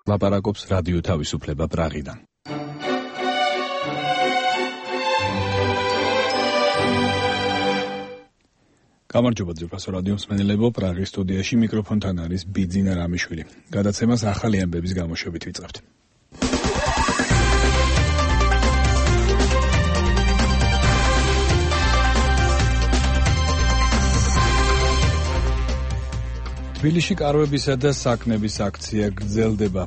ლაპარაკობს რადიო თავისუფლება პრაღიდან. გამარჯობა ძვირფასო რადიო მსმენელებო, პრაღის სტუდიაში მიკროფონთან არის ბიძინა რამიშვილი. გადაცემას ახალი ამბების გამოშვებით ვიწყებთ. თბილისში კარვებისა და საკნების აქცია გრძელდება.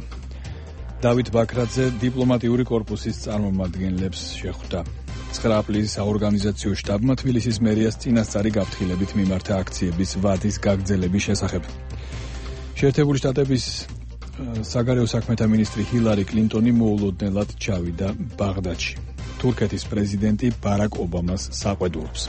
დავით ბაქრაძე დიპლომატიური კორპუსის წარმომადგენლებს შეხვდა. 9 აპრილის საორგანიზაციო შტაბმა თბილისის მერიას წინასწარი გაფრთხილებით მიმართა აქციების ვადის გაგრძელების შესახებ. შეერთებული შტატების საგარეო საქმეთა მინისტრი ჰილარი კლინტონი მოულოდნელად ჩავიდა ბაღდადში. თურქეთის პრეზიდენტი ბარაკ ობამას საყვედურობს.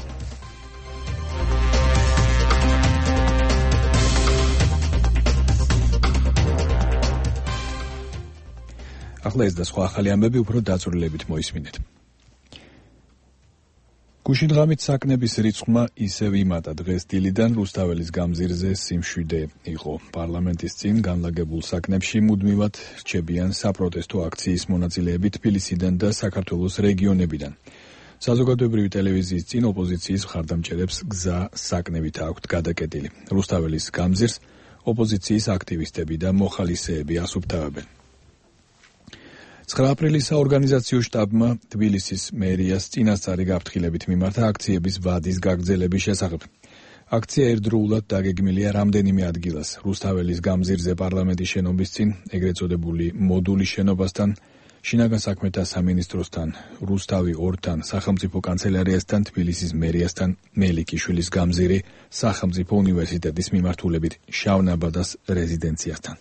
ახლა ეს და სხვა ახალი ამბები უფრო დაწვრილებით მოისმინეთ. გუშინ ღამით საკნების რიცხვმა ისევ იმატა. დღეს დილიდან რუსთაველის გამზირზე სიმშვიდე იყო. პარლამენტის წინ განლაგებულ საკნებში მუდმივად რჩებიან საპროტესტო აქციის მონაწილეები თბილისიდან და საქართველოს რეგიონებიდან. საზოგადოებრივი ტელევიზიის წინ ოპოზიციის მხარდამჭერებს გზა საკნებით აქვთ გადაკეტილი. რუსთაველის გამზირს ოპოზიციის აქტივისტები და მოხალისეები ასუფთავებენ. 9 აპრილის საორგანიზაციო შტაბმა თბილისის მერიას წინასწარი გაფრთხილებით მიმართა აქციების ვადის გაგრძელების შესახებ. აქცია ერთდროულად დაგეგმილია რამდენიმე ადგილას. რუსთაველის გამზირზე პარლამენტის შენობის წინ, ეგრეთ წოდებული მოდულის შენობასთან, შინაგან საქმეთა სამინისტროსთან, რუსთავი 2-თან, სახელმწიფო კანცელარიასთან, თბილისის მერიასთან, მელიქიშვილის გამზირი, სახელმწიფო უნივერსიტეტის მიმართულებით, შავნაბადას რეზიდენციასთან.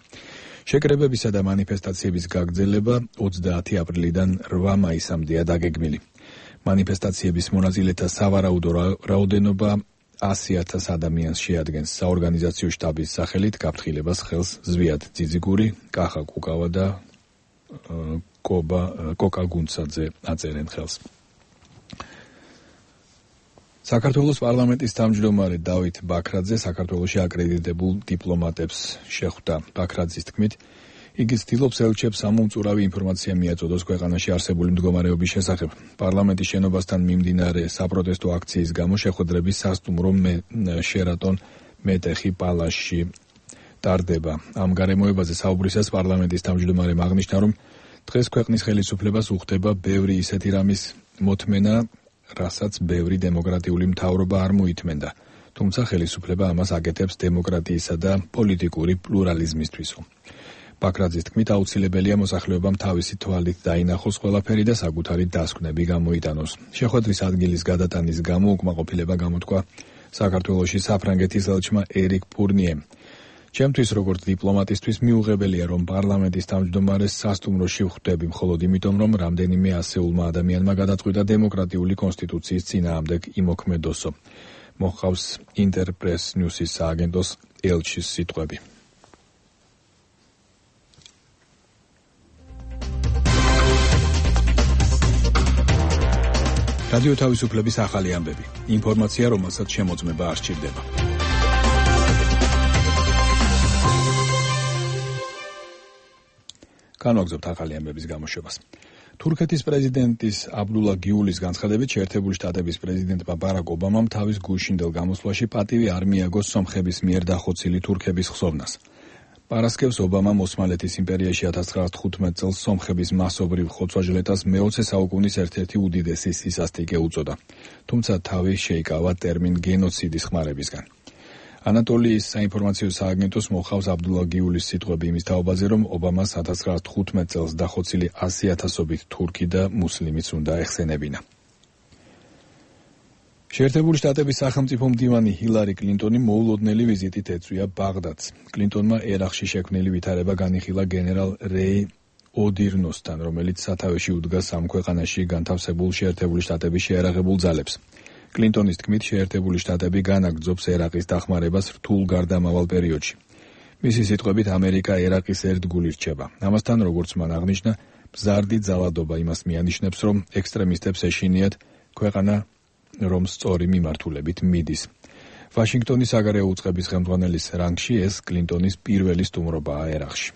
შეკრებებისა და მანიფესტაციების გაგრძელება 30 აპრილიდან 8 მაისამდეა დაგეგმილი. მანიფესტაციების მონაწილეთა სავარაუდო რაოდენობა 100,000 ადამიანს შეადგენს. საორგანიზაციო შტაბის სახელით გაფრთხილებას ხელს ზვიად ძიძიგური, კახა კუკავა და კოკა გუნცაძე აწერენ ხელს. საქართველოს პარლამენტის თავმჯდომარე დავით ბაქრაძე საქართველოში აკრედიტებულ დიპლომატებს შეხვდა. ბაქრაძის თქმით, იგი ცდილობს ელჩებს ამომწურავი ინფორმაცია მიაწოდოს ქვეყანაში არსებული მდგომარეობის შესახებ. პარლამენტის შენობასთან მიმდინარე საპროტესტო აქციის გამო შეხვედრები სასტუმრო შერატონ მეტეხი პალასში ტარდება. ამ გარემოებაზე საუბრისას პარლამენტის თავმჯდომარემ აღნიშნა, რომ დღეს ქვეყნის ხელისუფლებას უხდება ბევრი ისეთი რამის მოთმენა, რასაც ბევრი დემოკრატიული მთავრობა არ მოითმენდა, თუმცა ხელისუფლება ამას აკეთებს დემოკრატიისა და პოლიტიკური პლურალიზმისთვისო. ბაქრაძის თქმით, აუცილებელია მოსახლეობამ თავისი თვალით დაინახოს ყველაფერი და საკუთარი დასკვნები გამოიტანოს. შეხვედრის ადგილის გადატანის გამო უკმაყოფილება გამოთქვა საქართველოში საფრანგეთის ელჩმა ერიკ ფურნიემ. ჩემთვის როგორც დიპლომატისთვის მიუღებელია, რომ პარლამენტის თავმჯდომარეს სასტუმროში ვხვდები მხოლოდ იმიტომ, რომ რამდენიმე ასეულმა ადამიანმა გადაწყვიტა დემოკრატიული კონსტიტუციის წინააღმდეგ იმოქმედოსო. მოჰყავს ინტერპრეს ნიუსის სააგენტოს ელჩის სიტყვები. რადიო თავისუფლების ახალი ამბები. ინფორმაცია, რომელსაც შემოწმება არ სჭირდება. განვაგრძობთ ახალი ამბების გამოშვებას. თურქეთის პრეზიდენტის აბდულა გიულის განცხადებით, შეერთებული შტატების პრეზიდენტმა ბარაკ ობამამ თავის გუშინდელ გამოსვლაში პატივი არ მიაგოს სომხების მიერ დახოცილი თურქების ხსოვნას. პარასკევს ობამამ ოსმალეთის იმპერიაში 1915 წელს სომხების მასობრივ ხოცვა-ჟლეტას მე-20 საუკუნის ერთ-ერთი უდიდესი სისასტიკე უწოდა, თუმცა თავი შეიკავა ტერმინ გენოციდის ხმარებისგან. ანატოლიის საინფორმაციო სააგენტოს მოხავს აბდულა გიულის სიტყვები იმის თაობაზე, რომ ობამას 1915 წელს დახოცილი 100,000-ობით თურქი და მუსლიმიც უნდა ეხსენებინა. შეერთებული შტატების სახელმწიფო მდივანი ჰილარი კლინტონი მოულოდნელი ვიზიტით ეწვია ბაღდადს. კლინტონმა ერაყში შექმნილი ვითარება განიხილა გენერალ რეი ოდირნოსთან, რომელიც სათავეში უდგას ამ ქვეყანაში განთავსებულ შეერთებული შტატების შეიარაღებულ ძალებს. კლინტონის თქმით, შეერთებული შტატები განაგრძობს ერაყის დახმარებას რთულ გარდამავალ პერიოდში. მისი სიტყვებით, ამერიკა ერაყის ერთგული რჩება. ამასთან, როგორც მან აღნიშნა, მზარდი ძალადობა იმას მიანიშნებს, რომ ექსტრემისტებს ეშინიათ ქვეყანა, რომ სწორი მიმართულებით მიდის. ვაშინგტონის საგარეო უწყების ხელმძღვანელის რანგში ეს კლინტონის პირველი სტუმრობაა ერაყში.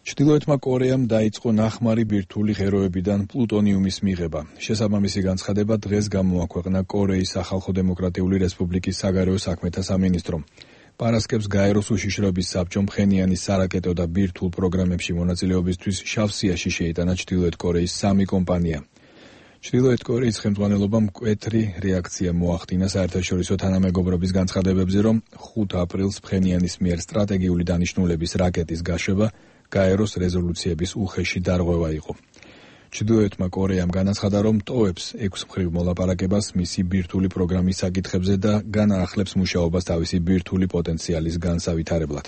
ჩრდილოეთმა კორეამ დაიწყო ნახმარი ბირთვული ღეროებიდან პლუტონიუმის მიღება. შესაბამისი განცხადება დღეს გამოაქვეყნა კორეის სახალხო დემოკრატიული რესპუბლიკის საგარეო საქმეთა სამინისტრომ. პარასკევს გაეროს უშიშროების საბჭომ ფხენიანის სარაკეტო და ბირთვულ პროგრამებში მონაწილეობისთვის შავ სიაში შეიტანა ჩრდილოეთ კორეის 3 კომპანია. ჩრდილოეთ კორეის ხელმძღვანელობამ მკვეთრი რეაქცია მოახდინა საერთაშორისო თანამეგობრობის განცხადებებზე, რომ 5 აპრილს ფხენიანის მიერ სტრატეგიული დანიშნულების რაკეტის გაშვება გაეროს რეზოლუციების უხეში დარღვევა იყო. ჩრდილოეთმა კორეამ განაცხადა, რომ ტოვებს 6 მხრივ მოლაპარაკებას მისი ბირთვული პროგრამის საკითხებზე და განაახლებს მუშაობას თავისი ბირთვული პოტენციალის განსავითარებლად.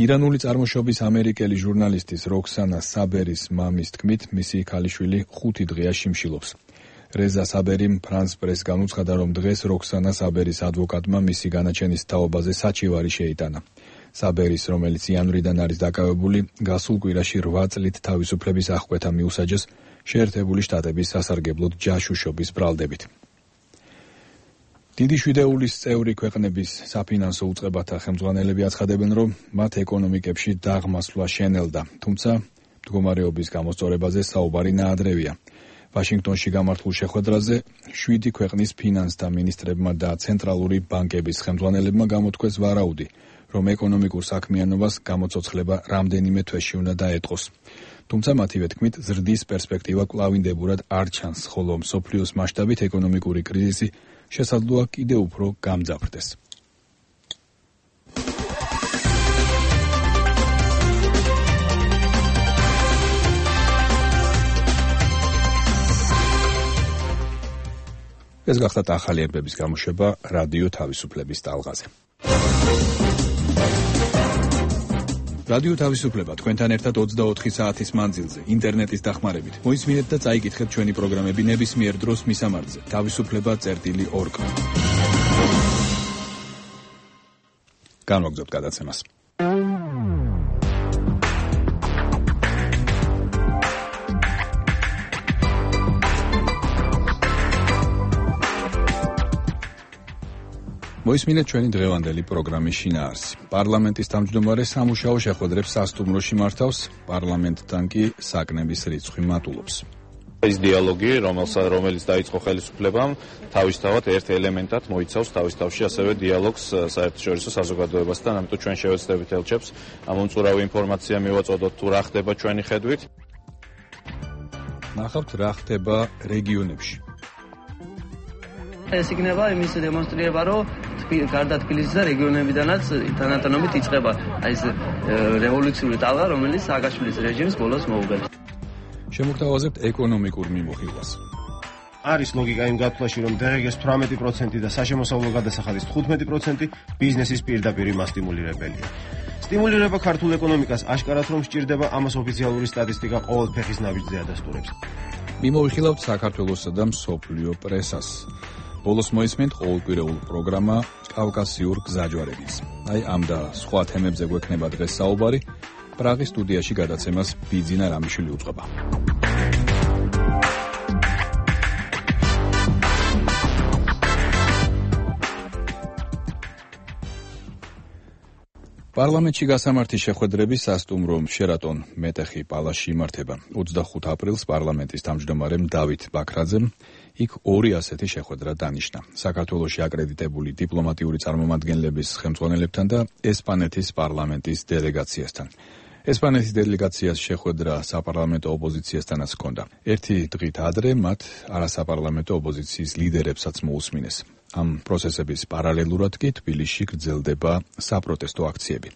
ირანული წარმოშობის ამერიკელი ჟურნალისტის როქსანა საბერის მამის თქმით, მისი ქალიშვილი 5 დღეა შიმშილობს. რეზა საბერიმ ფრანს პრეს განუცხადა, რომ დღეს როქსანა საბერის ადვოკატმა მისი განაჩენის თაობაზე საჩივარი შეიტანა. საბერის, რომელიც იანვრიდან არის დაკავებული, გასულ კვირაში 8 წლით თავისუფლების აღკვეთა მიუსაჯეს შეერთებული შტატების სასარგებლოდ ჯაშუშობის ბრალდებით. დიდი შვიდეულის წევრი ქვეყნების საფინანსო უწყებათა ხელმძღვანელები აცხადებენ, რომ მათ ეკონომიკებში დაღმასვლა შენელდა, თუმცა მდგომარეობის გამოსწორებაზე საუბარი ნაადრევია. ვაშინგტონში გამართულ შეხვედრაზე 7 ქვეყნის ფინანსთა მინისტრებმა და ცენტრალური ბანკების ხელმძღვანელებმა გამოთქვეს ვარაუდი, რომ ეკონომიკურ საქმიანობას გამოცოცხლება რამდენიმე თვეში უნდა დაეტყოს. თუმცა მათივე თქმით, ზრდის პერსპექტივა კვლავინდებურად არ ჩანს, ხოლო მსოფლიოს მასშტაბით ეკონომიკური კრიზისი შესაძლოა კიდევ უფრო გამძაფრდეს. ეს გახდათ ახალი ერბების გამოშვება რადიო თავისუფლების ტალღაზე. რადიო თავისუფლება თქვენთან ერთად 24 საათის მანძილზე, ინტერნეტის დახმარებით. მოისმინეთ და წაიკითხეთ ჩვენი პროგრამები ნებისმიერ დროს მისამართზე. თავისუფლება.org. განვაგრძობთ გადაცემას. მოისმინეთ ჩვენი დღევანდელი პროგრამის შინაარსი. პარლამენტის თავმჯდომარე სამუშაო შეხვედრებს სასტუმროში მართავს, პარლამენტთან კი საკნების რიცხვი მატულობს. ეს დიალოგი, რომელიც დაიწყო ხელისუფლებამ, თავისთავად ერთ ელემენტად მოიცავს თავის თავში ასევე დიალოგს საერთაშორისო საზოგადოებასთან, ამიტომ ჩვენ შევეცდებით ელჩებს ამ უწურავი ინფორმაცია მივაწოდოთ თუ რა ხდება ჩვენი ხედვით. ნახავთ რა ხდება რეგიონებში. ეს იქნება იმის დემონსტრირება, რომ გარდა თბილისის და რეგიონებიდანაც თანატოლობით იწყება ეს რევოლუციური ტალღა, რომელიც სააკაშვილის რეჟიმს ბოლოს მოუგებს. შემოგთავაზებთ ეკონომიკურ მიმოხილვას. არის ლოგიკა იმ გათვლაში, რომ დღეს 18% და საშემოსავლო გადასახადის 15% ბიზნესის პირდაპირ მასტიმულირებელია. სტიმულირება ქართულ ეკონომიკას აშკარად რომ სჭირდება, ამას ოფიციალური სტატისტიკა ყოველ ფეხის ნაბიჯზე ადასტურებს. მიმოვიხილავთ საქართველოსა და მსოფლიო პრესას. ბოლოს მოისმენთ ყოველკვირეულ პროგრამა კავკასიურ გზაჯვარეებს. აი ამ და სხვა თემებზე გვექნება დღეს საუბარი. პრაღის სტუდიაში გადაცემას ბიძინა რამიშვილი უწყება. პარლამენტში გასამართი შეხვედრები სასტუმრო შერატონ მეტეხი პალასში იმართება. 25 აპრილს პარლამენტის თავმჯდომარემ დავით ბაქრაძემ იქ 2 ასეთი შეხვედრა დანიშნა. საქართველოში აკრედიტებული დიპლომატიური წარმომადგენლების ხელმძღვანელებთან და ესპანეთის პარლამენტის დელეგაციასთან. ესპანეთის დელეგაციას შეხვედრა საპარლამენტო ოპოზიციასთანაც ჰქონდა. ერთი დღით ადრე მათ არასაპარლამენტო ოპოზიციის ლიდერებსაც მოусმინეს. ამ პროცესების პარალელურად კი თბილისში გრძელდება საპროტესტო აქციები.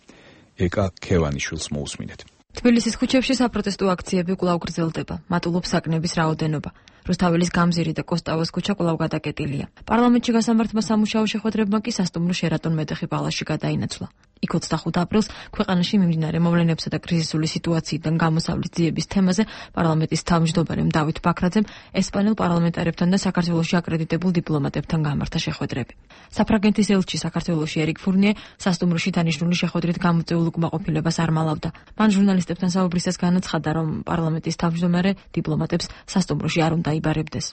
ეკა ქევანიშვილს მოусმინეთ. თბილისის ქუჩებში საპროტესტო აქციები კვლავ გრძელდება. მატულობს საკნების რაოდენობა. რუსთაველის გამზირი და კოსტავოს ქუჩა კვლავ გადაკეტილია. პარლამენტში გასამართმა სამუშაო შეხვედრებმა კი სასტუმრო შერატონ მეტეხი პალასში გადაინაცვლა. იქ 25 აპრილს ქვეყანაში მიმდინარე მოვლენებსა და კრიზისული სიტუაციიდან გამოსავლის ძიების თემაზე პარლამენტის თავმჯდომარემ დავით ბაქრაძემ ესპანელ პარლამენტარებთან და საქართველოში აკრედიტებულ დიპლომატებთან გამართა შეხვედრები. საფრანგეთის ელჩი საქართველოში ერიკ ფურნიე სასტუმროში დანიშნული შეხვედრით გამოწვეულ უკმაყოფილებას არ მალავდა. მან ჟურნალისტებთან საუბრისას განაცხადა, რომ პარლამენტის თავმჯდომარე დიპლომატებს სასტუმროში არ უნდა იბარებდეს.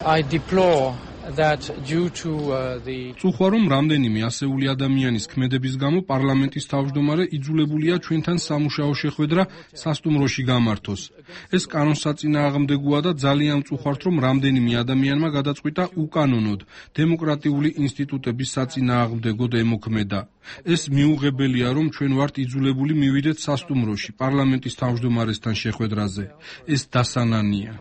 I deplore წუხვა რომ რამდენიმე ასეული ადამიანის ქმედების გამო პარლამენტის თავმჯდომარე იძულებულია ჩვენთან სამუშაო შეხვედრა სასტუმროში გამართოს. ეს კანონსაწინააღმდეგოა და ძალიან წუხართ რომ რამდენიმე ადამიანმა გადაწყვიტა უკანონოდ დემოკრატიული ინსტიტუტების საწინააღმდეგოდ ემოქმედა. ეს მიუღებელია რომ ჩვენ ვართ იძულებული მივიდეთ სასტუმროში პარლამენტის თავმჯდომარესთან შეხვედრაზე. ეს დასანანია.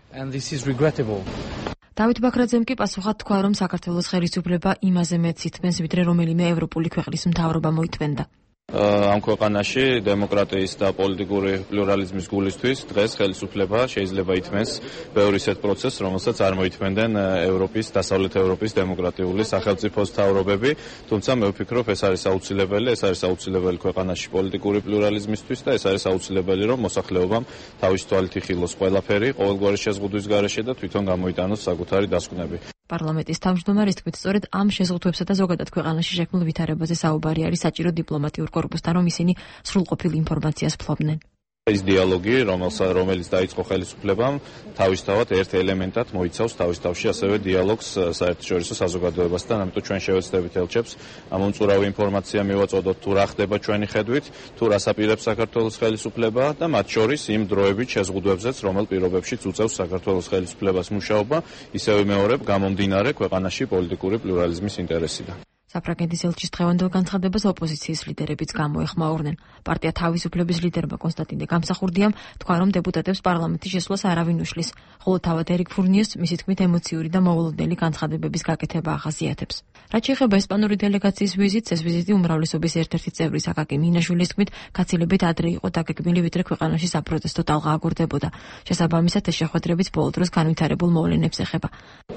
დავით ბაქრაძემ კი პასუხად თქვა, რომ საქართველოს ხელისუფლება იმაზე მეტს ითმენს, ვიდრე რომელიმე ევროპული ქვეყნის მთავრობა მოითმენდა. ამ ქვეყანაში დემოკრატიის და პოლიტიკური პლურალიზმის გულისთვის დღეს ხელისუფლება შეიძლება ითმენს ბევრი ისეთ პროცესს, რომელსაც არ მოითმენდნენ ევროპის, დასავლეთ ევროპის დემოკრატიული სახელმწიფოს მთავრობები, თუმცა მე ვფიქრობ, ეს არის აუცილებელი ქვეყანაში პოლიტიკური პლურალიზმისთვის და ეს არის აუცილებელი, რომ მოსახლეობამ თავის თვალით იხილოს ყველაფერი, ყოველგვარი შეზღუდვის გარეშე და თვითონ გამოიტანოს საკუთარი დასკვნები. პარლამენტის თავმჯდომარის თქმით, სწორედ ამ შეზღუდვებსა და ზოგადად ქვეყანაში შექმნილ ვითარებაზე საუბარი არის საჭირო დიპლომატიურ კორპუსთან, რომ ისინი სრულყოფილ ინფორმაციას ფლობდნენ. ეს დიალოგი, რომელიც დაიწყო ხელისუფლებამ, თავისთავად ერთ ელემენტად მოიცავს თავის თავში ასევე დიალოგს საერთაშორისო საზოგადოებასთან, ამიტომ ჩვენ შევეცდებით ელჩებს ამ უწურავი ინფორმაცია მივაწოდოთ, თუ რა ხდება ჩვენი ხედვით, თუ რას აპირებს საქართველოს ხელისუფლება და მათ შორის იმ დროებით შეზღუდვებზეც, რომელ პირობებშიც უწევს საქართველოს ხელისუფლებას მუშაობა, ისევე მეორებ გამომდინარე ქვეყანაში პოლიტიკური პლურალიზმის ინტერესიდან. საფრანგეთის ელჩის დღევანდელ განცხადებას ოპოზიციის ლიდერებიც გამოეხმაურნენ. პარტია თავისუფლების ლიდერმა კონსტანტინე გამსახურდიამ თქვა, რომ დეპუტატებს პარლამენტის შესვლას არავინ უშლის, ხოლო თავად ერიკ ფურნიეს მისი თქმით ემოციური და მოულოდნელი განცხადებების გაკეთება ახასიათებს. რაც შეეხება ესპანური დელეგაციის ვიზიტს, ეს ვიზიტი უმრავლესობის ერთ-ერთი წევრის აკაკი მინაშვილის თქმით, გაცილებით ადრე იყო დაგეგმილი, ვიდრე ქვეყანაში საპროტესტო ტალღა აგორდებოდა. შესაბამისად, ეს შეხვედრებიც ბოლო დროს განვითარებულ მოვლენებს ეხება.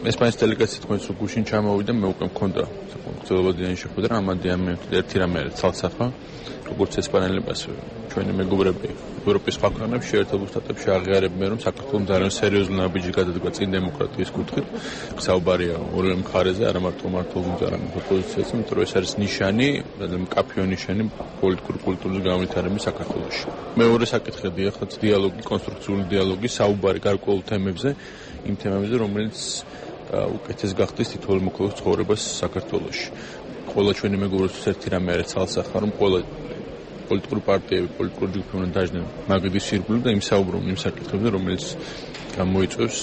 ესპანეთის დელეგაცია თქვენს გუშინ ჩამოვიდა, მე უკვე მქონდა ძველობადიანი შეხვედრა, ამადიან მე ერთი რამე არის ცალსახა, როგორც ესპანელებას ჩვენი მეგობრები ევროპის სხვა ქვეყნებში შეერთებულ შტატებში აღიარებენ, რომ საქართველოს ძალიან სერიოზული ნაბიჯი გადადგა წინ დემოკრატიის კუთხით. საუბარია ორივე მხარეზე, არა მარტო მართლობაზე, არამედ ოპოზიციაზე, იმიტომ რომ ეს არის ნიშანი, მკაფიო ნიშანი პოლიტიკური კულტურის განვითარების საქართველოში. მეორე საკითხი ახლა დიალოგი, კონსტრუქციული დიალოგი, საუბარი გარკვეულ თემებზე, იმ თემებზე, რომელიც უკეთეს გახდეს თითოეულ მოქალაქის ცხოვრებას საქართველოში. ყველა ჩვენი მეგობრებისთვის ერთი რამე არის ცალსახა, რომ ყველა პოლიტიკური პარტიები, პოლიტიკური ჯგუფები უნდა დაждდნენ მაგიდის სირგულით და იმსაუბრონ იმ საკითხებზე, რომელიც გამოიწვევს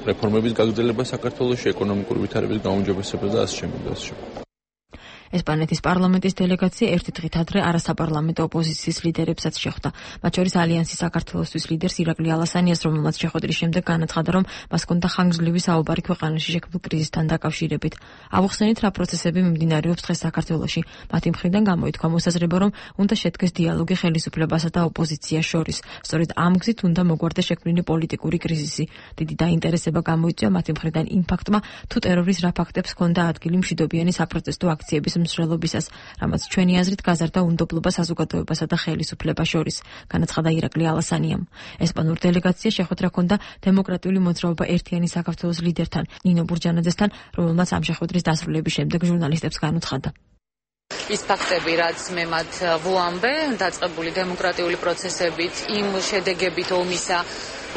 რეფორმების გაგრძელებას საქართველოში, ეკონომიკური ვითარების გაუმჯობესებას და ასე შემდეგ. ესპანეთის პარლამენტის დელეგაცია ერთი დღით ადრე არასაპარლამენტო ოპოზიციის ლიდერებსაც შეხვდა. მათ შორის ალიანსის საქართველოსთვის ლიდერს ირაკლი ალასანიას, რომელმაც შეხვედრის შემდეგ განაცხადა, რომ მას ჰქონდა ხანგრძლივი საუბარი ქვეყანაში შექმნილ კრიზისთან დაკავშირებით. ავუხსენით, რა პროცესები მიმდინარეობს დღეს საქართველოში. მათი მხრიდან გამოითქვა მოსაზრება, რომ უნდა შედგეს დიალოგი ხელისუფლებასა და ოპოზიციას შორის. სწორედ ამ გზით უნდა მოგვარდეს შექმნილი პოლიტიკური კრიზისი. დიდი დაინტერესება გამოიწვია მათი მხრიდან იმ ფაქტმა, თუ ტერორის რა ფაქტებს ჰქონდა ადგილი მშვიდობიანი საპროტესტო აქციების მსვლელობისას, რამაც ჩვენი აზრით გაზარდა უნდობლობა საზოგადოებასა და ხელისუფლებას შორის, განაცხადა ირაკლი ალასანიამ. ესპანურ დელეგაცია შეხვედრა ჰქონდა დემოკრატიული მოძრაობა ერთიანი საქართველოს ლიდერთან, ნინო ბურჯანაძესთან, რომელმაც ამ შეხვედრის დასრულების შემდეგ ჟურნალისტებს განუცხადა. ის ფაქტები, რაც მე მათ ვუამბე, დაწყებული დემოკრატიული პროცესებით, იმ შედეგებით ომისა,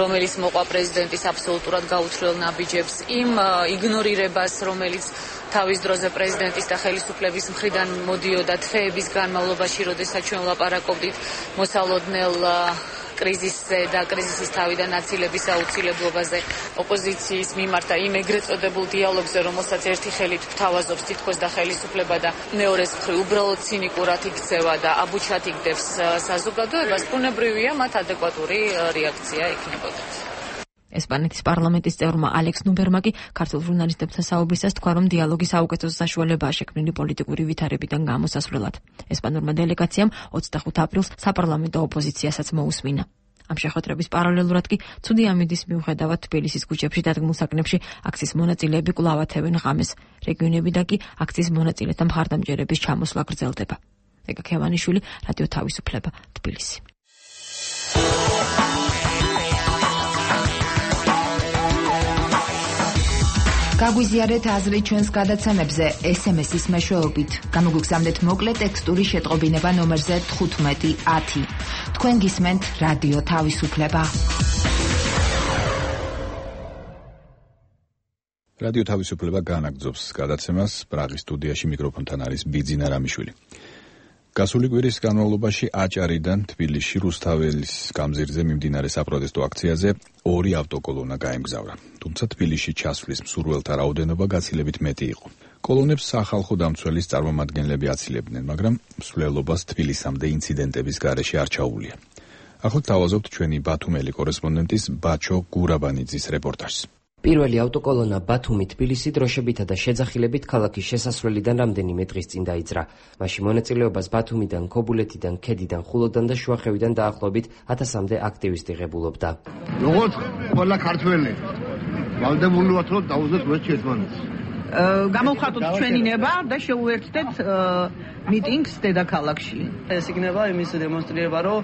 რომელიც მოყვა პრეზიდენტის აბსოლუტურად გაუცვლელ ნაბიჯებს, იმ იგნორირებას, რომელიც თავის დროზე პრეზიდენტის და ხელისუფლების მხრიდან მოდიოდა თვეების განმავლობაში, როდესაც ჩვენ ვლაპარაკობდით მოსალოდნელ კრიზისზე და კრიზისის თავიდან აცილების აუცილებლობაზე, ოპოზიციის მიმართ და იმ ეგრეთ წოდებულ დიალოგზე, რომელსაც ერთი ხელით გვთავაზობს თითქოს და ხელისუფლება და მეორეს მხრივ უბრალოდ ცინიკურად იქცევა და აბუჩად იგდებს საზოგადოებას, ბუნებრივია მათ ადეკვატური რეაქცია ექნებოდათ. ესპანეთის პარლამენტის წევრმა ალექს ნუბერმა კი ქართულ ჟურნალისტებთან საუბრისას თქვა, რომ დიალოგი საუკეთესო საშუალებაა შექმნილი პოლიტიკური ვითარებიდან გამოსასვლელად. ესპანურმა დელეგაციამ 25 აპრილს საპარლამენტო ოპოზიციასაც მოусმინა. ამ შეხვედრების პარალელურად კი ცუდი ამინდის მიუხედავად თბილისის ქუჩებში დადგმულ საკნებში აქციის მონაწილეები კვლავ ათევენ ღამეს. რეგიონებიდან კი აქციის მონაწილეთა მხარდამჭერების ჩამოსვლა გრძელდება. ეგა ქევანიშვილი, რადიო თავისუფლება, თბილისი. გაგვიზიარეთ აზრი ჩვენს გადაცემებზე SMS-ის მეშვეობით. გამოგვიგზავნეთ მოკლე ტექსტური შეტყობინება ნომერზე 1510. თქვენ გისმენთ რადიო თავისუფლება. რადიო თავისუფლება განაგრძობს გადაცემას. პრაღის სტუდიაში მიკროფონთან არის ბიძინა რამიშვილი. გასული კვირის განმავლობაში აჭარიდან თბილისში რუსთაველის გამზირზე მიმდინარე საპროტესტო აქციაზე 2 ავტოკოლონა გაემგზავრა. თუმცა თბილისში ჩასვლის მსურველთა რაოდენობა გაცილებით მეტი იყო. კოლონებს სახალხო დამცველის წარმომადგენლები აცილებდნენ, მაგრამ მსვლელობას თბილისამდე ინციდენტების გარეშე არ ჩაუვლია. ახლა თავაზობთ ჩვენი ბათუმელი კორესპონდენტის ბაჩო გურაბანიძის რეპორტაჟს. პირველი ავტოკოლონა ბათუმი-თბილისი დროშებითა და შეძახილებით ქალაქის შესასვლელიდან რამდენიმე დღის წინ დაიძრა. მაშინ მონაწილეობას ბათუმიდან, ქობულეთიდან, ქედიდან, ხულოდან და შუახევიდან დაახლოებით 1000-მდე აქტივისტი ღებულობდა. როგორც ყველა ქართველი ვალდებული ვართ, რომ დავუძვეთ ვერც ერთმანეთს. გამოვხატოთ ჩვენი ნება და შეუერთდეთ მიტინგს დედაქალაქში. ეს იქნება იმის დემონსტრირება, რომ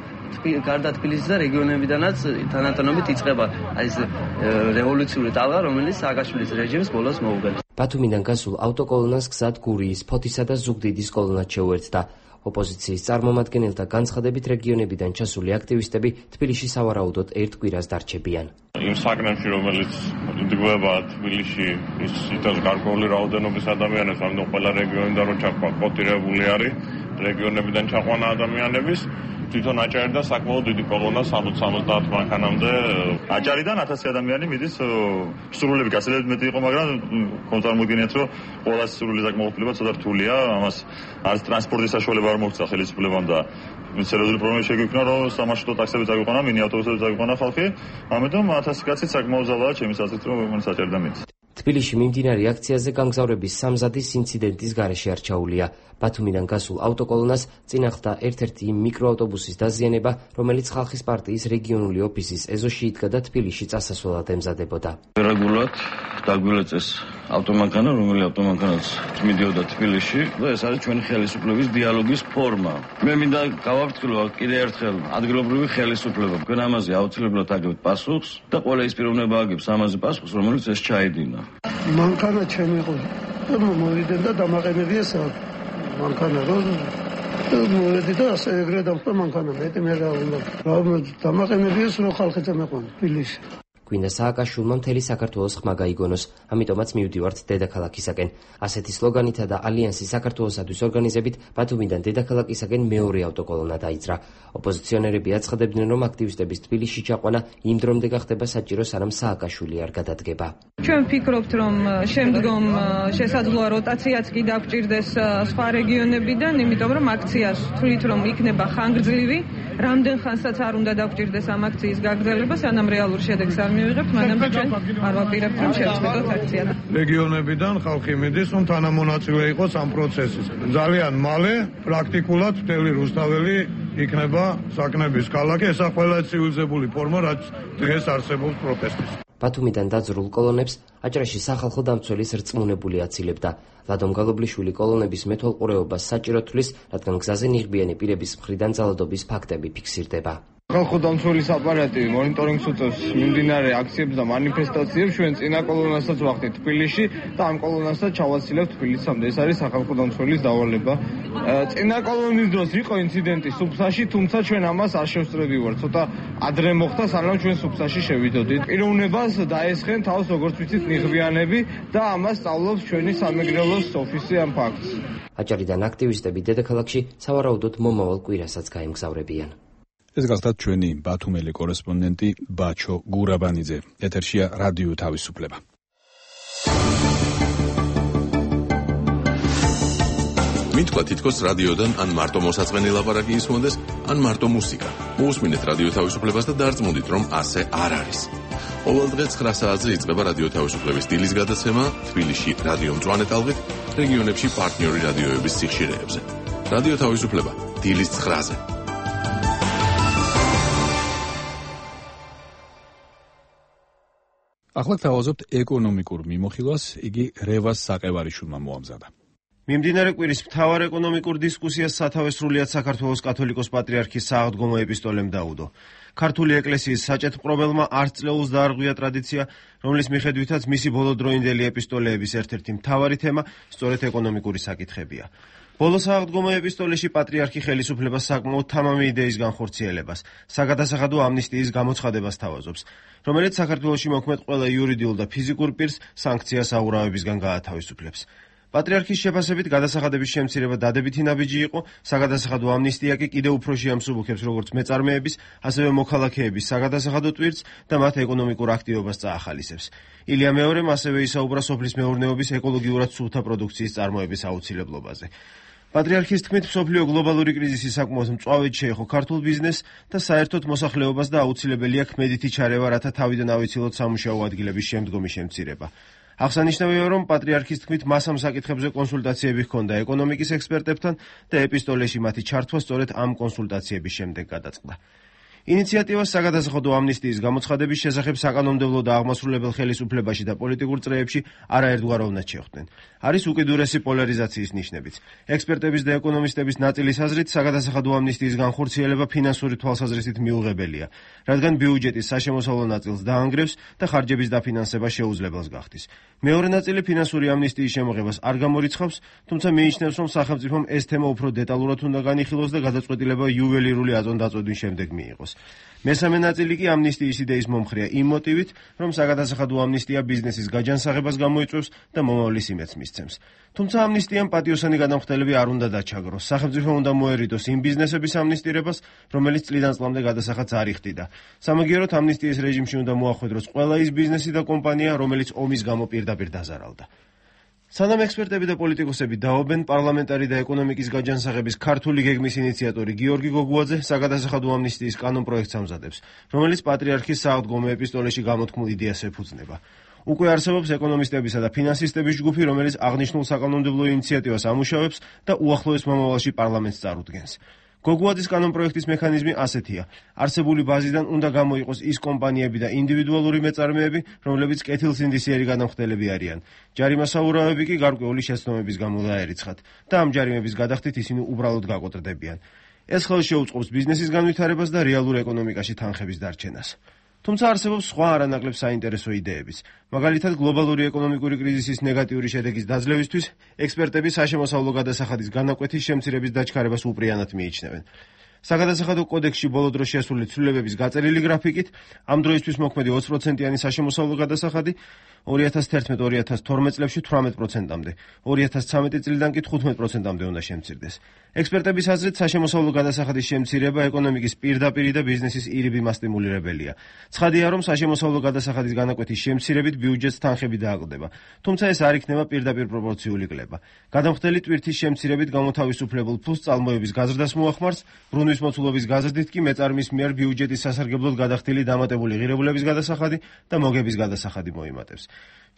გარდა თბილისის და რეგიონებიდანაც თანატოლობით იწყება ეს რევოლუციური ტალღა, რომელიც სააკაშვილის რეჟიმს ბოლოს მოუგებს. ბათუმიდან გასულ ავტოკოლონას გზად გურიის, ფოთისა და ზუგდიდის კოლონაც შეუერთდა. ოპოზიციის წარმომადგენელთა განცხადებით რეგიონებიდან ჩასული აქტივისტები თბილისში სავარაუდოდ ერთ კვირას დარჩებიან. იმ საკნებში, რომელიც იდგება თბილისში, ის იტევს გარკვეული რაოდენობის ადამიანებს, ამიტომ ყველა რეგიონიდან რომ ჩაკოტირებული არის რეგიონებიდან ჩაყვანა ადამიანების, თვითონ აჭარიდან საკმაოდ დიდი კოლონა 60-70 მანქანამდე. აჭარიდან 1000 ადამიანი მიდის, სრულები გაცილებით მეტი იყო, მაგრამ წარმოგიდგენიათ, რომ ყველა სრული საკმაყოფილება ცოტა რთულია, ამას არის ტრანსპორტის საშუალება არ მოგვცა ხელისუფლებამ და სერიოზული პრობლემა შეგვიქმნა, რომ სამარშრუტო ტაქსები წაგვიყვანა, მინი ავტობუსები წაგვიყვანა ხალხი, ამიტომ 1000 კაცი საკმაოდ ზალაა ჩემი აზრით, რომ მან აჭარიდან მიდის. თბილისში მიმდინარე აქციაზე გამგზავრების სამზადის ინციდენტის გარეშე არ ჩაუვლია. ბათუმიდან გასულ ავტოკოლონას წინ ახლდა ერთ-ერთი მიკროავტობუსის დაზიანება, რომელიც ხალხის პარტიის რეგიონული ოფისის ეზოში იდგა და თბილისში წასასვლელად ემზადებოდა. რეგულარულად დაგვილეწეს ავტომანქანა, რომელი ავტომანქანაც მიდიოდა თბილისში და ეს არის ჩვენი ხელისუფლების დიალოგის ფორმა. მე მინდა გავაფრთხილო კიდე ერთხელ ადგილობრივი ხელისუფლება. თქვენ ამაზე აუცილებლად აგებთ პასუხს და ყველა ის პიროვნება აგებს ამაზე პასუხს, რომელიც ეს ჩაედინა. მანქანა ჩემი იყო. მოვიდნენ და დამაყენებია მანქანა რომ მოვედი და ასე ეგრე დამხდა მანქანა. მე რა უნდა დამაყენებიეს რომ ხალხი წამეყვანა თბილისში. გვინდა სააკაშვილმა მთელი საქართველოს ხმა გაიგონოს, ამიტომაც მივდივართ დედაქალაქისაკენ. ასეთი სლოგანითა და ალიანსი საქართველოსათვის ორგანიზებით ბათუმიდან დედაქალაქისაკენ მეორე ავტოკოლონა დაიძრა. ოპოზიციონერები აცხადებდნენ, რომ აქტივისტების თბილისში ჩაყვანა იმ დრომდე გახდება საჭირო, სანამ სააკაშვილი არ გადადგება. ჩვენ ვფიქრობთ, რომ შემდგომ შესაძლოა როტაციაც კი დაგჭირდეს სხვა რეგიონებიდან, იმიტომ რომ აქციას თვლით, რომ იქნება ხანგრძლივი, რამდენ ხანსაც არ უნდა დაგჭირდეს ამ აქციის გაგრძელება, სანამ რეალურ შედეგს არ მივიღებთ, მანამდე ჩვენ არ ვაპირებთ, რომ შევწყვეტოთ აქცია. რეგიონებიდან ხალხი მიდის, რომ თანამონაწილე იყოს ამ პროცესის. ძალიან მალე პრაქტიკულად მთელი რუსთაველი იქნება საკნების ქალაქი, ესა ყველა ცივილიზებული ფორმა, რაც დღეს არსებობს პროტესტის. ბათუმიდან დაძრულ კოლონებს აჭარაში სახალხო დამცველის რწმუნებული აცილებდა. ლადომ გალობლიშვილი კოლონების მეთვალყურეობას საჭირო თვლის, რადგან გზაზე ნიღბიანი პირების მხრიდან ძალადობის ფაქტები ფიქსირდება. ხალხო დამცველის აპარატი მონიტორინგს უწევს მიმდინარე აქციებს და მანიფესტაციებს. ჩვენ წინა კოლონასაც ვახდით თბილისში და ამ კოლონასაც ჩავაცილებთ თბილისამდე. ეს არის სახალხო დამცველის დავალება. წინა კოლონის დროს იყო ინციდენტი სუფსაში, თუმცა ჩვენ ამას არ შევსწრები ვარ. ცოტა ადრე მოხდა, სანამ ჩვენ სუფსაში შევიდოდით. პიროვნებას დაესხენ თავს, როგორც ვიცით, ნიღბიანები და ამას სწავლობს ჩვენი სამეგრელოს ოფისი ამ ფაქტს. აჭარიდან აქტივისტები დედაქალაქში სავარაუდოდ მომავალ კვირასაც გაემგზავრებიან. ეს გახლავთ ჩვენი ბათუმელი კორესპონდენტი ბაჩო გურაბანიძე. ეთერშია რადიო თავისუფლება. მითქვა თითქოს რადიოდან ან მარტო მოსაწყენი ლაპარაკი ისმოდეს, ან მარტო მუსიკა. მოусმინეთ რადიო თავისუფლებას და დარწმუნდით, რომ ასე არ არის. ყოველდღე 9 საათზე იწყება რადიო თავისუფლების დილის გადაცემა თბილისში რადიო მწვანე ტალღით, რეგიონებში პარტნიორი რადიოების სიხშირეებზე. რადიო თავისუფლება დილის 9-ზე. ახლა თავაზობთ ეკონომიკურ მიმოხილვას, იგი რევას საყევარიშვილმა მოამზადა. მიმდინარე კვირის მთავარ ეკონომიკურ დისკუსიას სათავეს სრულიად საქართველოს კათოლიკოს პატრიარქის სააღდგომო ეპისტოლემ დაუდო. ქართული ეკლესიის საჭეთმყრობელმა არც წლეულს დაარღვია ტრადიცია, რომლის მიხედვითაც მისი ბოლოდროინდელი ეპისტოლეების ერთ-ერთი მთავარი თემა სწორედ ეკონომიკური საკითხებია. ბოლო სააღდგომო ეპისტოლეში პატრიარქი ხელისუფლებას საკმაოდ თამამი იდეის განხორციელებას, საგადასახადო ამნისტიის გამოცხადებას თავაზობს, რომელიც საქართველოში მოქმედ ყველა იურიდიულ და ფიზიკურ პირს სანქციას აურავებისგან გაათავისუფლებს. პატრიარქის შეფასებით გადასახადების შემცირება დადებითი ნაბიჯი იყო, საგადასახადო ამნისტია კი კიდევ უფრო შეამსუბუქებს როგორც მეწარმეების, ასევე მოქალაქეების საგადასახადო ტვირთს და მათ ეკონომიკურ აქტივობას წაახალისებს. ილია მეორემ ასევე ისაუბრა სოფლის მეურნეობის ეკოლოგიურად სუფთა პროდუქციის წარმოების აუცილებლობაზე. პატრიარქის თქმით, მსოფლიო გლობალური კრიზისი საკმაოდ მწვავედ შეეხო ქართულ ბიზნესს და საერთოდ მოსახლეობას და აუცილებელია ქმედითი ჩარევა, რათა თავიდან ავიცილოთ სამუშაო ადგილების შემდგომი შემცირება. აღსანიშნავია, რომ პატრიარქის თქმით მას ამ საკითხებზე კონსულტაციები ჰქონდა ეკონომიკის ექსპერტებთან და ეპისტოლეში მათი ჩართვა სწორედ ამ კონსულტაციების შემდეგ გადაწყდა. ინიციატივას საგადასახადო ამნისტიის გამოცხადების შესახებ საკანონმდებლო და აღმასრულებელ ხელისუფლებაში და პოლიტიკურ წრეებში არაერთგვაროვნად შეხვდნენ. არის უკიდურესი პოლარიზაციის ნიშნებიც. ექსპერტების და ეკონომისტების ნაწილის აზრით, საგადასახადო ამნისტიის განხორციელება ფინანსური თვალსაზრისით მიუღებელია, რადგან ბიუჯეტის საშემოსავლო ნაწილს დაანგრევს და ხარჯების დაფინანსება შეუძლებელს გახდის. მეორე ნაწილი ფინანსური ამნისტიის შემოღებას არ გამორიცხავს, თუმცა მიიჩნევს, რომ სახელმწიფომ ეს თემა უფრო დეტალურად უნდა განიხილოს და გადაწყვეტილება იუველირული აწონდაწოდვის შემდეგ მიიღოს. მესამე ნაწილი კი ამნისტიის იდეის მომხრეა იმ მოტივით, რომ საგადასახადო ამნისტია ბიზნესის გაჯანსაღებას გამოიწვევს და მომავლის იმედს მისცემს. თუმცა ამნისტიამ პატიოსანი გადამხდელები არ უნდა დაჩაგროს. სახელმწიფო უნდა მოერიდოს იმ ბიზნესების ამნისტირებას, რომელიც წლიდან წლამდე გადასახადს არ იხდიდა. სამაგიეროდ ამნისტიის რეჟიმში უნდა მოახვედროს ყველა ის ბიზნესი და კომპანია, რომელიც ომის გამო პირდაპირ დაზარალდა. სანამ ექსპერტები და პოლიტიკოსები დაობენ, პარლამენტარი და ეკონომიკის გაჯანსაღების ქართული გეგმის ინიციატორი გიორგი გოგუაძე საგადასახადო ამნისტიის კანონპროექტს ამზადებს, რომელიც პატრიარქის სააღდგომო ეპისტოლეში გამოთქმულ იდეას ეფუძნება. უკვე არსებობს ეკონომისტებისა და ფინანსისტების ჯგუფი, რომელიც აღნიშნულ საკანონმდებლო ინიციატივას ამუშავებს და უახლოეს მომავალში პარლამენტს წარუდგენს. გოგუაძის კანონპროექტის მექანიზმი ასეთია: არსებული ბაზიდან უნდა გამოიყოს ის კომპანიები და ინდივიდუალური მეწარმეები, რომლებიც კეთილსინდისიერი გადამხდელები არიან. ჯარიმას აურავები კი გარკვეული შეცდომების გამო დაერიცხათ და ამ ჯარიმების გადახდით ისინი უბრალოდ გაკოტრდებიან. ეს ხელს შეუწყობს ბიზნესის განვითარებას და რეალურ ეკონომიკაში თანხების დარჩენას. თუმცა არსებობს სხვა არანაკლებ საინტერესო იდეებიც. მაგალითად, გლობალური ეკონომიკური კრიზისის ნეგატიური შედეგის დაძლევისთვის ექსპერტები საშემოსავლო გადასახადის განაკვეთის შემცირების დაჩქარებას უპრიანად მიიჩნევენ. საგადასახადო კოდექსში ბოლო დროს შესული ცვლილებების გაწერილი გრაფიკით, ამ დროისთვის მოქმედი 20%-იანი საშემოსავლო გადასახადი 2011-2012 წლებში 18%-მდე, 2013 წლიდან კი 15%-მდე უნდა შემცირდეს. ექსპერტების აზრით, საშემოსავლო გადასახადის შემცირება ეკონომიკის პირდაპირი და ბიზნესის ირიბი მასტიმულირებელია. ცხადია, რომ საშემოსავლო გადასახადის განაკვეთის შემცირებით ბიუჯეტს თანხები დააკლდება, თუმცა ეს არ იქნება პირდაპირ პროპორციული კლება. გადამხდელი ტვირთის შემცირებით გამოთავისუფლებულ ფულს წალმოების გაზრდას მოახმარს, ბრუნვის მოცულობის გაზრდით კი მეწარმის მიერ ბიუჯეტის სასარგებლოდ გადახდილი დამატებული ღირებულების გადასახადი და მოგების გადასახადი მოიმატებს.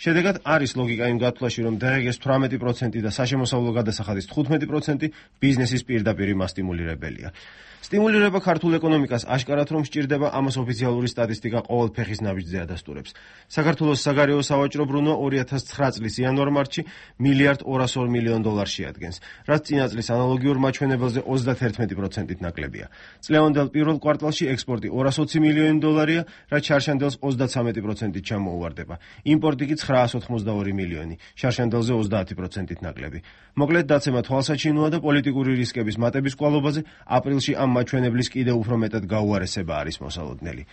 შედეგად არის ლოგიკა იმ გათვლაში, რომ დღეს 18% და საშემოსავლო გადასახადის 15% ბიზნესის პირდაპირი მასტიმულირებელია. სტიმულირება ქართულ ეკონომიკას აშკარად რომ სჭირდება, ამას ოფიციალური სტატისტიკა ყოველ ფეხის ნაბიჯზე ადასტურებს. საქართველოს საგარეო სავაჭრო ბრუნვა 2009 წლის იანვარ-მარტში $1.202 მილიარდ შეადგენს, რაც წინა წლის ანალოგიურ მაჩვენებელზე 31%-ით ნაკლებია. წლევანდელ პირველ კვარტალში ექსპორტი $220 მილიონია, რაც შარშანდელს 33%-ით ჩამოუვარდება. იმპორტი კი $982 მილიონი, შარშანდელზე 30%-ით ნაკლები. მოკლედ, დაცემა თვალსაჩინოა და პოლიტიკური რისკების მატების კვალობაზე აპრილში ამ მაჩვენებლის კიდევ უფრო მეტად გაუარესება არის მოსალოდნელი.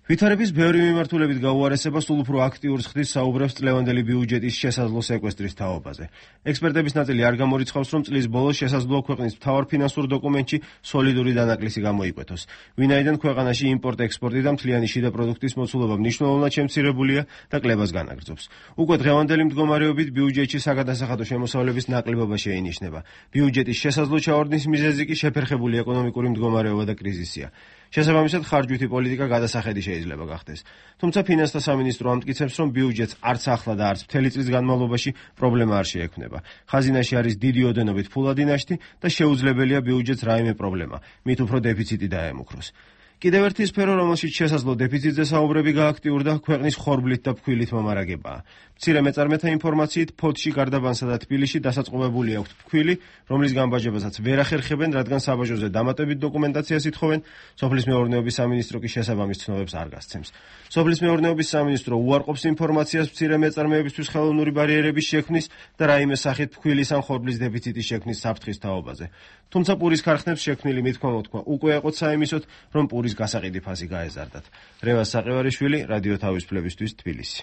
ვითარების ბევრი მიმართულებით გაუარესება სულ უფრო აქტიურს ხდის საუბრებს წლევანდელი ბიუჯეტის შესაძლო სეკვესტრის თაობაზე. ექსპერტების ნაწილი არ გამორიცხავს, რომ წლის ბოლოს შესაძლოა ქვეყნის მთავარ ფინანსურ დოკუმენტში სოლიდური დანაკლისი გამოიკვეთოს, ვინაიდან ქვეყანაში იმპორტ-ექსპორტი და მთლიანი შიდა პროდუქტის მოცულობა მნიშვნელოვნად შემცირებულია და კლებას განაგრძობს. უკვე დღევანდელი მდგომარეობით ბიუჯეტში საგადასახადო შემოსავლების ნაკლებობა შეინიშნება. ბიუჯეტის შესაძლო ჩავარდნის მიზეზი კი შეფერხებული ეკონომიკური მდგომარეობა და კრიზისია. შესაბამისად, ხარჯვითი პოლიტიკა გადასახედი შეიძლება გახდეს. თუმცა ფინანსთა სამინისტრო ამტკიცებს, რომ ბიუჯეტს არც ახლა და არც მთელი წლის განმავლობაში პრობლემა არ შეექმნება. ხაზინაში არის დიდი ოდენობით ფულადი ნაშთი და შეუძლებელია ბიუჯეტს რაიმე პრობლემა, მით უფრო დეფიციტი დაემუქროს. კიდევ ერთი სფერო, რომელშიც შესაძლო დეფიციტზე საუბრები გააქტიურდა, ქვეყნის ხორბლით და ფქვილით მომარაგებაა. მცირე მეწარმეთა ინფორმაციით, ფოთში, გარდაბანსა და თბილისში დასაწყობებული აქვთ ფქვილი, რომლის გამბაჟებასაც ვერ ახერხებენ, რადგან საბაჟოზე დამატებით დოკუმენტაციას ითხოვენ. სოფლის მეურნეობის სამინისტრო კი შესაბამის ცნობებს არ გასცემს. სოფლის მეურნეობის სამინისტრო უარყოფს ინფორმაციას მცირე მეწარმეებისთვის ხელოვნური ბარიერების შექმნის და რაიმე სახით ფქვილის ან ხორბლის დეფიციტის შექმნის საფრთხის თაობაზე. თუმცა პურის ქარხნებს შექმნილი მithქმა-მოთქმა უკვე ეყოთ საიმისოდ, რომ პურის გასაყიდი ფასი გაეზარდათ. რევაზ საყევარიშვილი, რადიო თავისუფლებისთვის, თბილისი.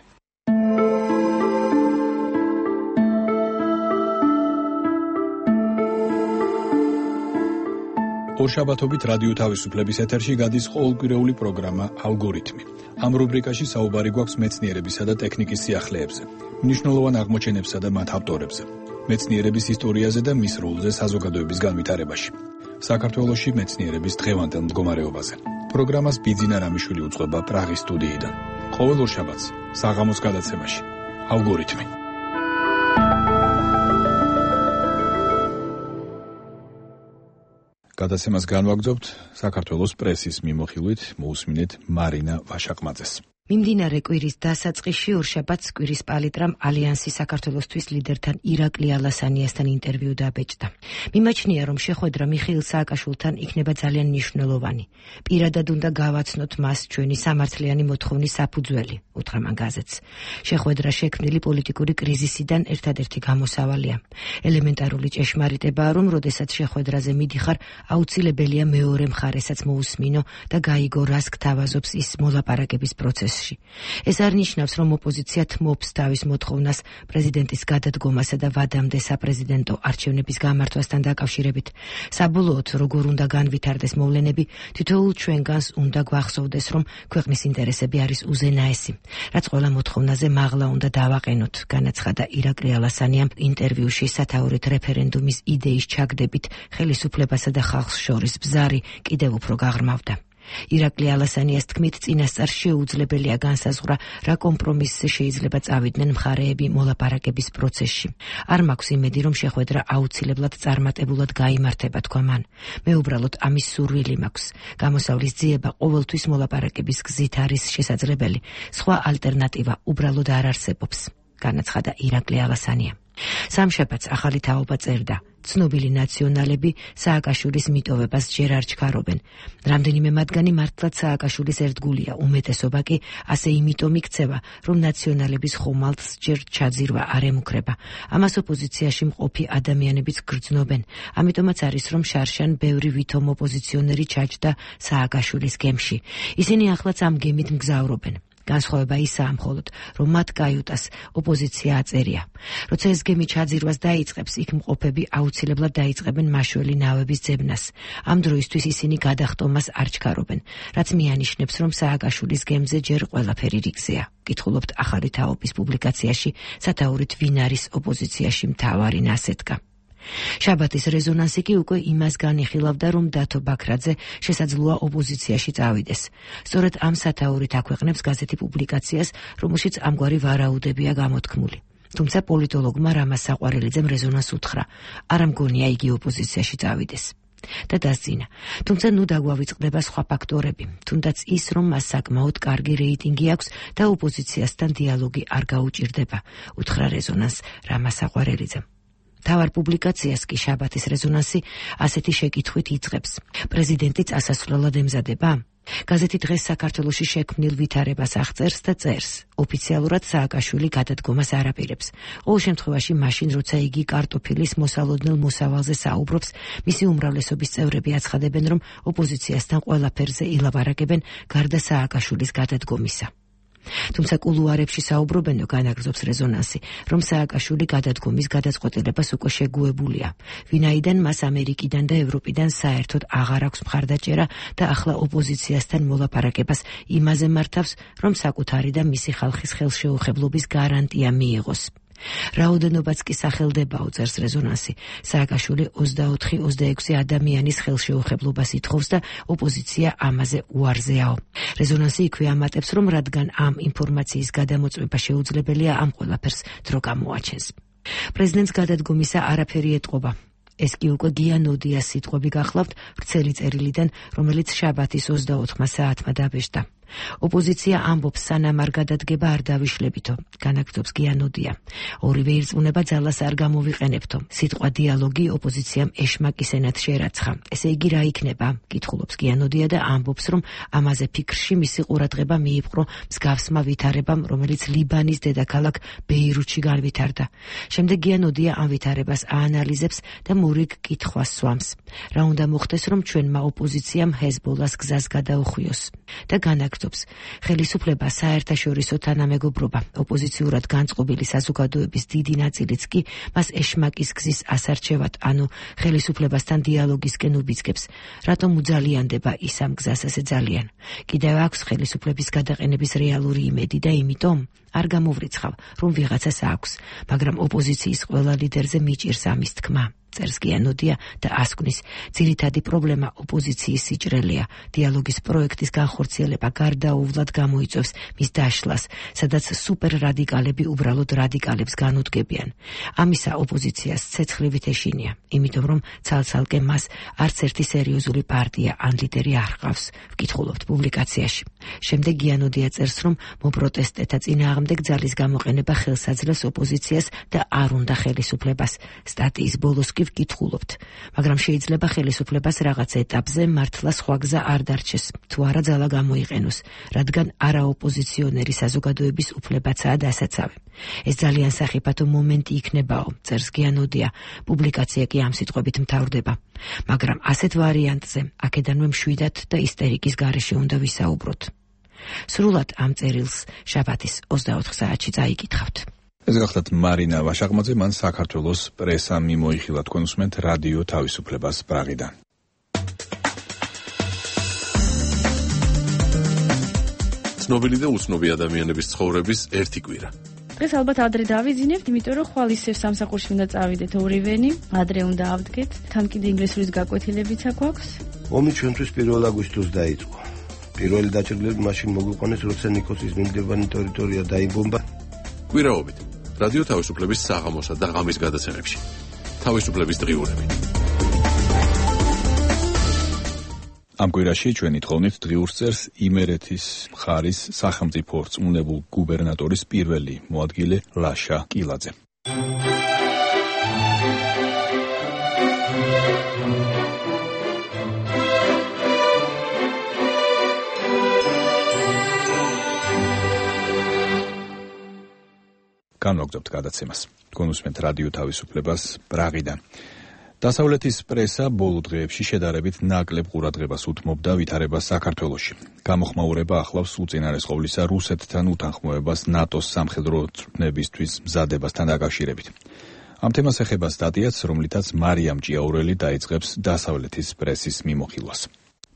ორშაბათობით რადიო თავისუფლების ეთერში გადის ყოველკვირეული პროგრამა ალგორითმი. ამ რუბრიკაში საუბარი გვაქვს მეცნიერებისა და ტექნიკის სიახლეებზე, მნიშვნელოვან აღმოჩენებსა და მათ ავტორებზე, მეცნიერების ისტორიაზე და მის როლზე საზოგადოების განვითარებაში. საქართველოში მეცნიერების დღევანდელ მდგომარეობაზე. პროგრამას ბიძინა რამიშვილი უძღვება პრაღის სტუდიიდან. ყოველ ორშაბათს საღამოს გადაცემაში ალგორითმი. გადაცემას განვაგრძობთ საქართველოს პრესის მიმოხილვით, მოусმინეთ მარინა ვაშაყმაძეს. მიმდინარე კვირის დასაწყისში ორშაბათს კვირის პალიტრამ ალიანსის საქართველოსთვის ლიდერთან ირაკლი ალასანიასთან ინტერვიუ დაბეჭდა. მიმაჩნია, რომ შეხვედრა მიხეილ სააკაშვილთან იქნება ძალიან მნიშვნელოვანი. პირადად უნდა გავაცნოთ მას ჩვენი სამართლიანი მოთხოვნის საფუძველი, უთხრა მან გაზეთს. შეხვედრა შექმნილი პოლიტიკური კრიზისიდან ერთადერთი გამოსავალია. ელემენტარული ჭეშმარიტებაა, რომ როდესაც შეხვედრაზე მიდიხარ, აუცილებელია მეორე მხარესაც მოусმინო და გაიგო, რას გთავაზობს ის მოლაპარაკების პროცესში. ეს არ ნიშნავს, რომ ოპოზიცია თმობს თავის მოთხოვნას პრეზიდენტის გადადგომასა და ვადამდე საპრეზიდენტო არჩევნების გამართვასთან დაკავშირებით. საბოლოოდ, როგორ უნდა განვითარდეს მოვლენები, თითოეულ ჩვენგანს უნდა გვახსოვდეს, რომ ქვეყნის ინტერესები არის უზენაესი, რაც ყველა მოთხოვნაზე მაღლა უნდა დავაყენოთ, განაცხადა ირაკლი ალასანიამ ინტერვიუში სათაურით რეფერენდუმის იდეის ჩაგდებით ხელისუფლებასა და ხალხს შორის ბზარი კიდევ უფრო გაღრმავდა. ირაკლი ალასანიას თქმით, წინასწარ შეუძლებელია განსაზღვრა, რა კომპრომისზე შეიძლება წავიდნენ მხარეები მოლაპარაკების პროცესში. არ მაქვს იმედი, რომ შეხვედრა აუცილებლად წარმატებულად გაიმართება, თქვა მან. მე უბრალოდ ამის სურვილი მაქვს. გამოსავლის ძიება ყოველთვის მოლაპარაკების გზით არის შესაძლებელი. სხვა ალტერნატივა უბრალოდ არ არსებობს, განაცხადა ირაკლი ალასანია. სამშაბათს ახალი თაობა წერდა. ცნობილი ნაციონალები სააკაშვილის მიტოვებას ჯერ არ ჩქარობენ. რამდენიმე მათგანი მართლაც სააკაშვილის ერთგულია, უმეტესობა კი ასე იმიტომ იქცევა, რომ ნაციონალების ხომალდს ჯერ ჩაძირვა არ ემუქრება. ამას ოპოზიციაში მყოფი ადამიანებიც გრძნობენ. ამიტომაც არის, რომ შარშან ბევრი ვითომ ოპოზიციონერი ჩაჯდა სააკაშვილის გემში. ისინი ახლაც ამ გემით მგზავრობენ. განსხვავება ისაა მხოლოდ, რომ მათ კაიუტას ოპოზიცია აწერია. როცა ეს გემი ჩაძირვას დაიწყებს, იქ მყოფები აუცილებლად დაიწყებენ მაშველი ნავების ძებნას. ამ დროისთვის ისინი გადახტომას არ ჩქარობენ, რაც მიანიშნებს, რომ სააკაშვილის გემზე ჯერ ყველაფერი რიგზეა. კითხულობთ ახალი თაობის პუბლიკაციაში, სათაურით ვინ არის ოპოზიციაში მთავარი ნასეთქა. შაბათის რეზონანსი კი უკვე იმას განიხილავდა, რომ დათო ბაქრაძე შესაძლოა ოპოზიციაში წავიდეს. სწორედ ამ სათაურით აქვეყნებს გაზეთი პუბლიკაციას, რომელშიც ამგვარი ვარაუდებია გამოთქმული. თუმცა პოლიტოლოგმა რამაზ საყვარელიძემ რეზონანს უთხრა, არ მგონია იგი ოპოზიციაში წავიდეს. და დასძინა. თუმცა ნუ დაგვავიწყდება სხვა ფაქტორები, თუნდაც ის, რომ მას საკმაოდ კარგი რეიტინგი აქვს და ოპოზიციასთან დიალოგი არ გაუჭირდება, უთხრა რეზონანს რამაზ საყვარელიძემ. თავარ პუბლიკაციას კი შაბათის რეზონანსი ასეთი შეკითხვით იწყებს. პრეზიდენტი წასასვლელად ემზადება? გაზეთი დღეს საქართველოში შექმნილ ვითარებას აღწერს და წერს. ოფიციალურად სააკაშვილი გადადგომას არ აპირებს. ყოველ შემთხვევაში მაშინ, როცა იგი კარტოფილის მოსალოდნელ მოსავალზე საუბრობს, მისი უმრავლესობის წევრები აცხადებენ, რომ ოპოზიციასთან ყველაფერზე ილაპარაკებენ გარდა სააკაშვილის გადადგომისა. თუმცა კულუარებში საუბრობენო, განაგრძობს რეზონანსი, რომ სააკაშვილი გადადგომის გადაწყვეტილებას უკვე შეგუებულია. ვინაიდან მას ამერიკიდან და ევროპიდან საერთოდ აღარ აქვს მხარდაჭერა და ახლა ოპოზიციასთან მოლაპარაკებას იმაზე მართავს, რომ საკუთარი და მისი ხალხის ხელშეუხებლობის გარანტია მიიღოს. რაოდენობაც კი სახელდებაო, წერს რეზონანსი. სააკაშვილი 24-26 ადამიანის ხელშეუხებლობას ითხოვს და ოპოზიცია ამაზე უარზეაო. რეზონანსი იქვე ამატებს, რომ რადგან ამ ინფორმაციის გადამოწმება შეუძლებელია, ამ ყველაფერს დრო გამოაჩენს. პრეზიდენტს გადადგომისა არაფერი ეტყობა. ეს კი უკვე გიანოდიას სიტყვები გახლავთ ვრცელი წერილიდან, რომელიც შაბათის 24 საათმა დაბეჭდა. ოპოზიცია ამბობს, სანამ არ გადადგება არ დავიშლებითო, განაგრძობს გიანოდია. ორივე ირწმუნება ძალას არ გამოვიყენებთო. სიტყვა დიალოგი ოპოზიციამ ეშმაკი სენატში ერაცხა. ესე იგი რა იქნება? კითხულობს გიანოდია და ამბობს, რომ ამაზე ფიქრში მისი ყურადღება მიიპყრო მსგავსმა ვითარებამ, რომელიც ლიბანის დედაქალაქ ბეირუთში განვითარდა. შემდეგ გიანოდია ამ ვითარებას აანალიზებს და მურიგ კითხვას სვამს. რა უნდა მოხდეს, რომ ჩვენმა ოპოზიციამ ჰეზბოლას გზას გადაუხვიოს და ხელისუფლება, საერთაშორისო თანამეგობრობა, ოპოზიციურად განწყობილი საზოგადოების დიდი ნაწილიც კი მას ეშმაკის გზის ასარჩევად, ანუ ხელისუფლებასთან დიალოგისკენ უბიძგებს. რატომ უძალიანდება ის ამ გზას ასე ძალიან? კიდევ აქვს ხელისუფლების გადაყენების რეალური იმედი და იმიტომ არ გამოვრიცხავ, რომ ვიღაცას აქვს, მაგრამ ოპოზიციის ყველა ლიდერზე მიჭირს ამის თქმა. წერს გიანოდია და ასკვნის, ძირითადი პრობლემა ოპოზიციის სიჭრელეა. დიალოგის პროექტის განხორციელება გარდაუვლად გამოიწვევს მის დაშლას, სადაც სუპერრადიკალები უბრალოდ რადიკალებს განუდგებიან. ამისა ოპოზიციას ცეცხლივით ეშინია, იმიტომ რომ ცალ-ცალკე მას არც ერთი სერიოზული პარტია ან ლიდერი არ ჰყავს, ვკითხულობთ პუბლიკაციაში. შემდეგ გიანოდია წერს, რომ მოპროტესტეთა წინააღმდეგ ძალის გამოყენება ხელს აძლევს ოპოზიციას და არ უნდა ხელისუფლებას. სტატიის ბოლოს ვკითხულობთ, მაგრამ შეიძლება ხელისუფლებას რაღაც ეტაპზე მართლა სხვა გზა არ დარჩეს, თუ არა ძალა გამოიყენოს, რადგან არაოპოზიციონერი საზოგადოების უფლებაცაა დასაცავი. ეს ძალიან სახიფათო მომენტი იქნებაო, წერს გიანოდია. პუბლიკაცია კი ამ სიტყვებით მთავრდება. მაგრამ ასეთ ვარიანტზე აქედანვე მშვიდად და ისტერიკის გარეშე უნდა ვისაუბროთ. სრულად ამ წერილს შაბათის 24 საათში წაიკითხავთ. ეს გახლავთ მარინა ვაშაღმაძე, მან საქართველოს პრესა მიმოიხილა, თქვენ უსმენთ რადიო თავისუფლებას პრაღიდან. ცნობილი და უცნობი ადამიანების ცხოვრების ერთი კვირა. დღეს ალბათ ადრე დავიძინებთ, იმიტომ რომ ხვალ ისევ სამსახურში უნდა წავიდეთ ორივენი, ადრე უნდა ავდგეთ, თან კიდე ინგლისურის გაკვეთილებიც აქვს. ომი ჩვენთვის 1 აგვისტოს დაიწყო. პირველი დაჭრილები მაშინ მოგვიყვანეს, როცა ნიკოსის მიმდებარე ტერიტორია დაიბომბა. კვირაობით რადიო თავისუფლების საღამოსა და ღამის გადაცემებში. თავისუფლების დღიურები. ამ კვირაში ჩვენი თხოვნით დღიურს წერს იმერეთის მხარის სახელმწიფო რწმუნებულ გუბერნატორის პირველი მოადგილე ლაშა კილაძე. განვაგრძობთ გადაცემას. თქვენ უსმენთ რადიო თავისუფლებას პრაღიდან. დასავლეთის პრესა ბოლო დღეებში შედარებით ნაკლებ ყურადღებას უთმობდა ვითარებას საქართველოში. გამოხმაურება ახლავს უწინარესყოვლისა რუსეთთან უთანხმოებას ნატოს სამხედრო წვრთნებისთვის მზადებასთან დაკავშირებით. ამ თემას ეხება სტატიაც, რომლითაც მარიამ ჭიაურელი დაიწყებს დასავლეთის პრესის მიმოხილვას.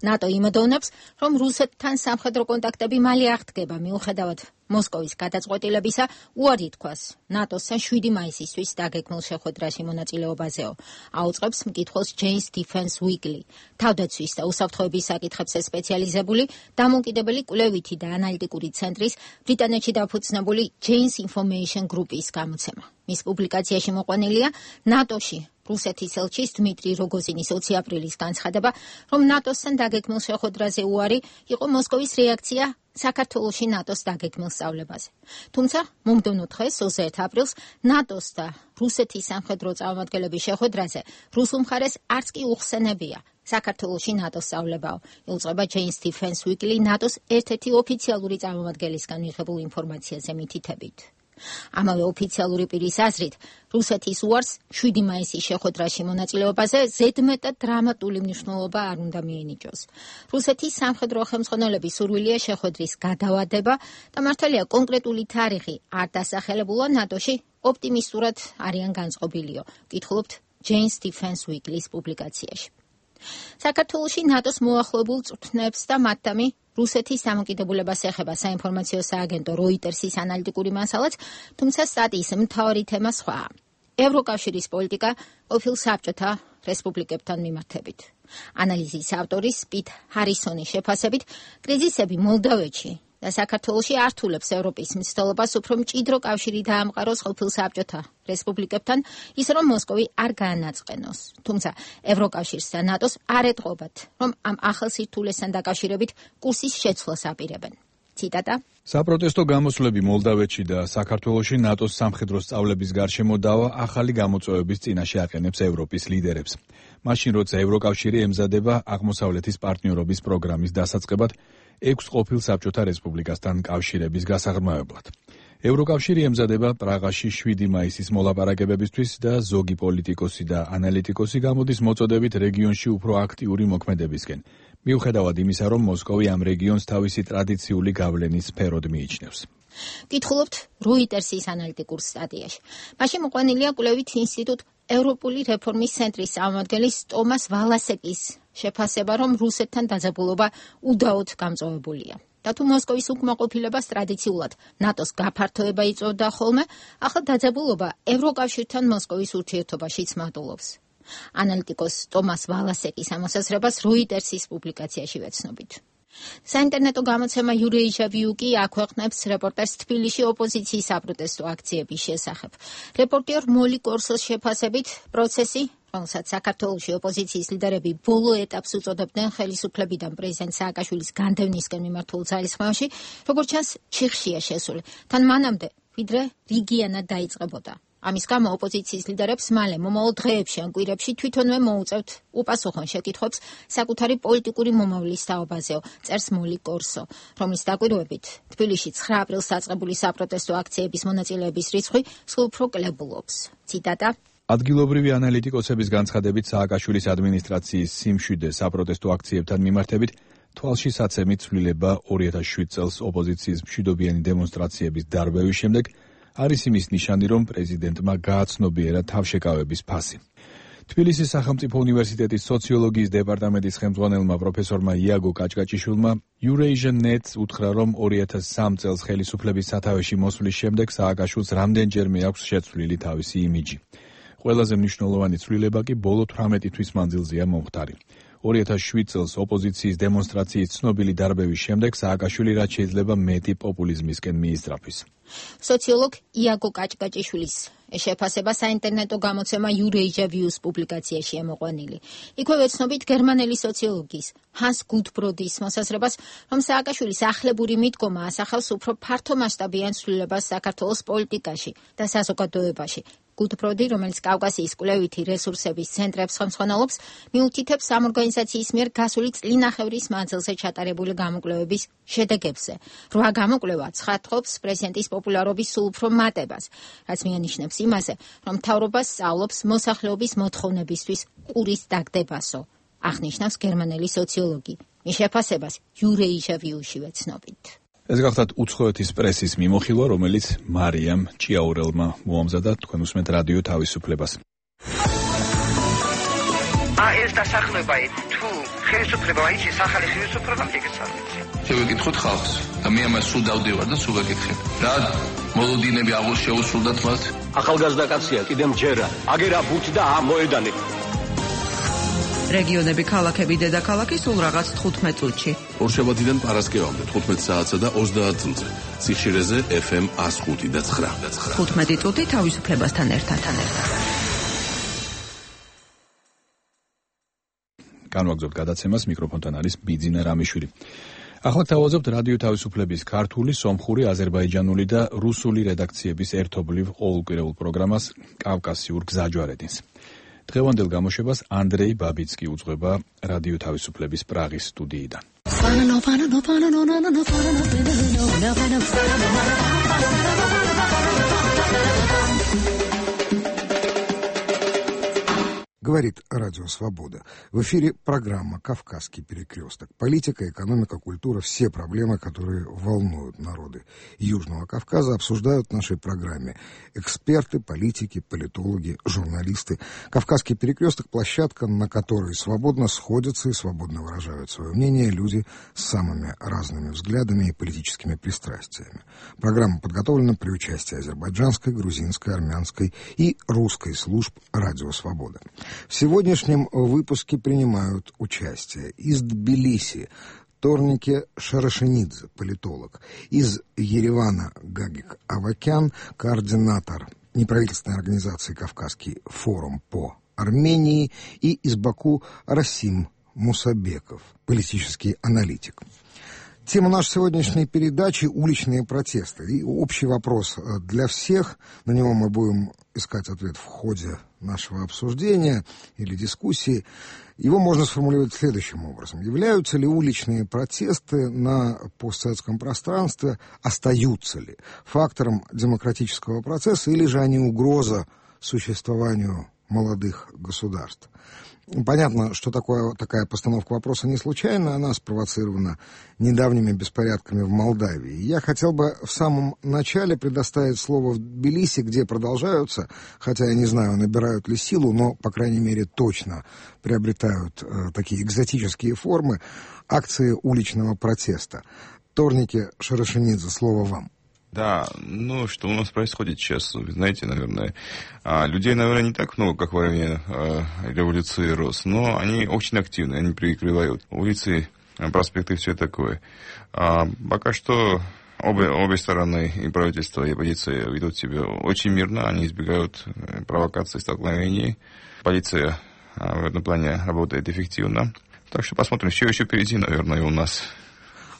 ნატო იმედოვნებს, რომ რუსეთთან სამხედრო კონტაქტები მალე აღდგება, მიუხედავად მოსკოვის გადაწყვეტილებისა უარი თქვას ნატოსთან 7 მაისისთვის დაგეგმილ შეხვედრაში მონაწილეობაზეო. აუწყებს მკითხველს Jane's Defense Weekly, თავდაცვის და უსაფრთხოების საკითხებზე სპეციალიზებული დამოუკიდებელი კვლევითი და ანალიტიკური ცენტრის ბრიტანეთში დაფუძნებული Jane's Information Group-ის გამოცემა. მის პუბლიკაციაში მოყვანილია ნატოში რუსეთის ელჩის დმიტრი როგოზინის 20 აპრილის განცხადება, რომ ნატოსთან დაგეგმილ შეხვედრაზე უარი იყო მოსკოვის რეაქცია საქართველოში ნატოს დაგეგმილ სწავლებაზე. თუმცა მომდევნო დღეს 21 აპრილს ნატოს და რუსეთის სამხედრო წარმომადგენლების შეხვედრაზე რუსულ მხარეს არც კი უხსენებია საქართველოში ნატოს სწავლებაო. იუწყება Jane's Defense Weekly ნატოს ერთ-ერთი ოფიციალური წარმომადგენლისგან მიღებულ ინფორმაციაზე მითითებით. ამავე ოფიციალური პირის აზრით, რუსეთის უარს 7 მაისის შეხვედრაში მონაწილეობაზე ზედმეტად დრამატული მნიშვნელობა არ უნდა მიენიჭოს. რუსეთის სამხედრო ხელმძღვანელობის სურვილია შეხვედრის გადავადება და მართალია კონკრეტული თარიღი არ დასახელებულა ნატოში ოპტიმისტურად არიან განწყობილიო. ვკითხულობთ Jane's Defense Weekly-ის პუბლიკაციაში. საქართველოში ნატოს მოახლოებულ წვრთნებს და მათთამი რუსეთის დამოკიდებულებას ეხება საინფორმაციო სააგენტო Reuters-ის ანალიტიკური მასალაც, თუმცა სტატიის მთავარი თემა სხვაა. ევროკავშირის პოლიტიკა ყოფილ საბჭოთა რესპუბლიკებთან მიმართებით. ანალიზის ავტორის პიტ ჰარისონის შეფასებით, კრიზისები მოლდოვეთში და საქართველოში ართულებს ევროპის მცდელობას უფრო მჭიდრო კავშირი დაამყაროს ყოფილ საბჭოთა რესპუბლიკებთან, ის რომ მოსკოვი არ გაანაწყენოს. თუმცა ევროკავშირს და ნატოს არ ეტყობათ, რომ ამ ახალ სირთულესთან დაკავშირებით კურსის შეცვლას აპირებენ. ციტატა: საპროტესტო გამოსვლები მოლდავეთში და საქართველოში ნატოს სამხედრო სწავლების გარშემო დავა ახალი გამოწვევების წინაშე აყენებს ევროპის ლიდერებს. მაშინ როცა ევროკავშირი ემზადება აღმოსავლეთის პარტნიორობის პროგრამის დასაწყებად 6 ყოფილ საბჭოთა რესპუბლიკასთან კავშირების გასაღრმავებლად. ევროკავშირი ემზადება პრაღაში 7 მაისის მოლაპარაკებებისთვის და ზოგი პოლიტიკოსი და ანალიტიკოსი გამოდის მოწოდებით რეგიონში უფრო აქტიური მოქმედებისკენ. მიუხედავად იმისა, რომ მოსკოვი ამ რეგიონს თავისი ტრადიციული გავლენის სფეროდ მიიჩნევს. კითხულობთ როიტერსის ანალიტიკურ სტატიაში. მაშინ მოყვანილია კვლევით ინსტიტუტ ევროპული რეფორმის ცენტრის წარმომადგენლის ტომას ვალასეკის შეფასება, რომ რუსეთთან დაძაბულობა უდაოდ გამწვავებულია. და თუ მოსკოვის უკმაყოფილებას ტრადიციულად ნატოს გაფართოება იწვევდა ხოლმე, ახლა დაძაბულობა ევროკავშირთან მოსკოვის ურთიერთობაშიც მატულობს. ანალიტიკოს ტომას ვალასეკის ამოსაზრებას როიტერსის პუბლიკაციაში ვეცნობით. საინტერნეტო გამოცემა Eurasia View კი აქვეყნებს რეპორტაჟს თბილისში ოპოზიციის საპროტესტო აქციების შესახებ. რეპორტიორ მოლი კორსოს შეფასებით, პროცესი, რომელსაც საქართველოში ოპოზიციის ლიდერები ბოლო ეტაპს უწოდებდნენ ხელისუფლებიდან პრეზიდენტ სააკაშვილის განდევნისკენ მიმართულ ძალისხმევაში, როგორც ჩანს, ჩიხშია შესული. თან მანამდე, ვიდრე რიგიანად დაიწყებოდა. ამის გამო ოპოზიციის ლიდერებს მალე მომავალ დღეებში ან კვირებში თვითონვე მოუწევთ უპასუხონ შეკითხვებს საკუთარი პოლიტიკური მომავლის თაობაზეო, წერს მოლი კორსო, რომლის დაკვირვებით თბილისში 9 აპრილს დაწყებული საპროტესტო აქციების მონაწილეების რიცხვი სულ უფრო კლებულობს. ციტატა: ადგილობრივი ანალიტიკოსების განცხადებით, სააკაშვილის ადმინისტრაციის სიმშვიდე საპროტესტო აქციებთან მიმართებით თვალში საცემი ცვლილება 2007 წელს ოპოზიციის მშვიდობიანი დემონსტრაციების დარბევის შემდეგ არის იმის ნიშანი, რომ პრეზიდენტმა გააცნობიერა თავშეკავების ფასი. თბილისის სახელმწიფო უნივერსიტეტის სოციოლოგიის დეპარტამენტის ხელმძღვანელმა პროფესორმა იაგო კაჭკაჭიშვილმა Eurasian.net უთხრა, რომ 2003 წელს ხელისუფლების სათავეში მოსვლის შემდეგ სააკაშვილს რამდენჯერმე აქვს შეცვლილი თავისი იმიჯი. ყველაზე მნიშვნელოვანი ცვლილება კი ბოლო 18 თვის მანძილზეა მომხდარი. 2007 წელს ოპოზიციის დემონსტრაციის ცნობილი დარბევის შემდეგ სააკაშვილი რაც შეიძლება მეტი პოპულიზმისკენ მიისწრაფვის. სოციოლოგ იაგო კაჭკაჭიშვილის შეფასება საინტერნეტო გამოცემა Eurasia View-ს პუბლიკაციაშია მოყვანილი. იქვე ვეცნობით გერმანელი სოციოლოგის ჰანს გუთბროდის მოსაზრებას, რომ სააკაშვილის ახლებური მიდგომა ასახავს უფრო ფართო მასშტაბიან ცვლილებას საქართველოს პოლიტიკაში და საზოგადოებაში. გუთბროდი, რომელიც კავკასიის კვლევითი რესურსების ცენტრებს ხელმძღვანელობს, მიუთითებს ამ ორგანიზაციის მიერ გასული წლინახევრის მანძილზე ჩატარებული გამოკვლევების შედეგებზე. 8 გამოკვლევა ცხადყოფს პრეზიდენტის პოპულარობის სულ უფრო მატებას, რაც მიანიშნებს იმაზე, რომ მთავრობა სწავლობს მოსახლეობის მოთხოვნებისთვის ყურის დაგდებასო, აღნიშნავს გერმანელი სოციოლოგი. მის შეფასებას Eurasia View-ში ვეცნობით. ეს გახლავთ უცხოეთის პრესის მიმოხილვა, რომელიც მარიამ ჭიაურელმა მოამზადა. თქვენ უსმენთ რადიო თავისუფლებას. ეს დასახლება თუ ხელისუფლება იცის ახალი ხელისუფლება მიგეცალმეცი. შევეკითხოთ ხალხს და მე ამას სულ დავდივარ და სულ ვეკითხებ. რა მოლოდინები აღარ შეუსრულდათ მათ? ახალგაზრდა კაცია, კიდემ ჯერა. აგერა ბუთ და მოედანი. რეგიონები, ქალაქები, დედაქალაქი სულ რაღაც 15 წუთში. ორშაბათიდან პარასკევამდე 15 საათსა და 30 წუთზე. ციხშირეზე FM 105 და 9. 15 წუთი თავისუფლებასთან ერთად. განვაგრძობთ გადაცემას, მიკროფონთან არის ბიძინა რამიშვილი. ახლა თავაზობთ რადიო თავისუფლების ქართული, სომხური, აზერბაიჯანული და რუსული რედაქციების ერთობლივ ყოველკვირეულ პროგრამას კავკასიურ გზაჯვარედინს. დღევანდელ გამოშვებას ანდრეი ბაბიცკი უძღვება რადიო თავისუფლების პრაღის სტუდიიდან. Говорит Радио Свобода. В эфире программа «Кавказский перекресток». Политика, экономика, культура – все проблемы, которые волнуют народы Южного Кавказа, обсуждают в нашей программе эксперты, политики, политологи, журналисты. «Кавказский перекресток» – площадка, на которой свободно сходятся и свободно выражают свое мнение люди с самыми разными взглядами и политическими пристрастиями. Программа подготовлена при участии азербайджанской, грузинской, армянской и русской служб «Радио Свобода». В сегодняшнем выпуске принимают участие из Тбилиси Торнике Шарашенидзе, политолог. Из Еревана Гагик Авакян, координатор неправительственной организации «Кавказский форум по Армении». И из Баку Расим Мусабеков, политический аналитик. Тема нашей сегодняшней передачи – уличные протесты. И общий вопрос для всех. На него мы будем искать ответ в ходе нашего обсуждения или дискуссии. Его можно сформулировать следующим образом. Являются ли уличные протесты на постсоветском пространстве, остаются ли фактором демократического процесса, или же они угроза существованию молодых государств? Понятно, что такая постановка вопроса не случайна, она спровоцирована недавними беспорядками в Молдавии. Я хотел бы в самом начале предоставить слово в Тбилиси, где продолжаются, хотя я не знаю, набирают ли силу, но, по крайней мере, точно приобретают такие экзотические формы акции уличного протеста. Торнике Шарашенидзе, слово вам. Да, что у нас происходит сейчас, вы знаете, наверное, людей, наверное, не так много, как во время революции РОС, но они очень активны, они перекрывают улицы, проспекты, все такое. Пока что обе стороны, и правительство, и оппозиция, ведут себя очень мирно, они избегают провокаций, столкновений. Полиция в этом плане работает эффективно. Так что посмотрим, все еще впереди, наверное, у нас.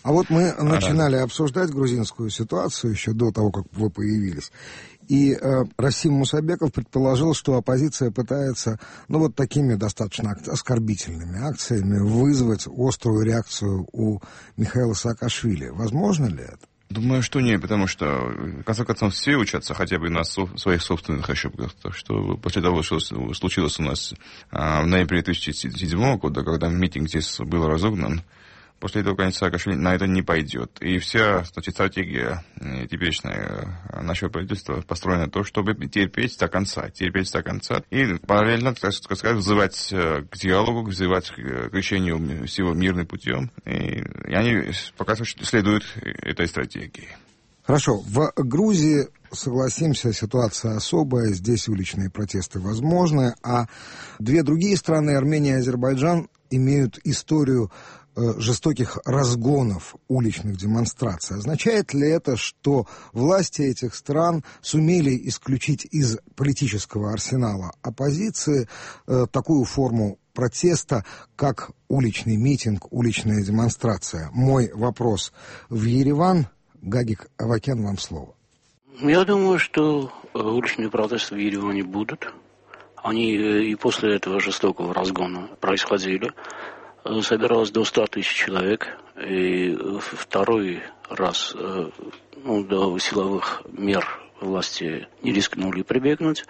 А вот мы начинали обсуждать грузинскую ситуацию еще до того, как вы появились. И Расим Мусабеков предположил, что оппозиция пытается, такими достаточно оскорбительными акциями вызвать острую реакцию у Михаила Саакашвили. Возможно ли это? Думаю, что нет, потому что, в конце концов, все учатся хотя бы на своих собственных ошибках. Так что после того, что случилось у нас в ноябре 2007 года, когда митинг здесь был разогнан, после этого, конечно, Саакашвили на это не пойдет. И вся, стратегия теперешняя нашего правительства построена на то, чтобы терпеть до конца. И параллельно, так сказать, взывать к диалогу, взывать к решению всего мирным путем. И они пока что следуют этой стратегии. Хорошо. В Грузии, согласимся, ситуация особая. Здесь уличные протесты возможны. А две другие страны, Армения и Азербайджан, имеют историю жестоких разгонов уличных демонстраций. Означает ли это, что власти этих стран сумели исключить из политического арсенала оппозиции такую форму протеста, как уличный митинг, уличная демонстрация? Мой вопрос в Ереван. Гагик Авакян, вам слово. Я думаю, что уличные протесты в Ереване будут. Они и после этого жестокого разгона происходили. Собиралось до 100 тысяч человек, и второй раз до силовых мер власти не рискнули прибегнуть.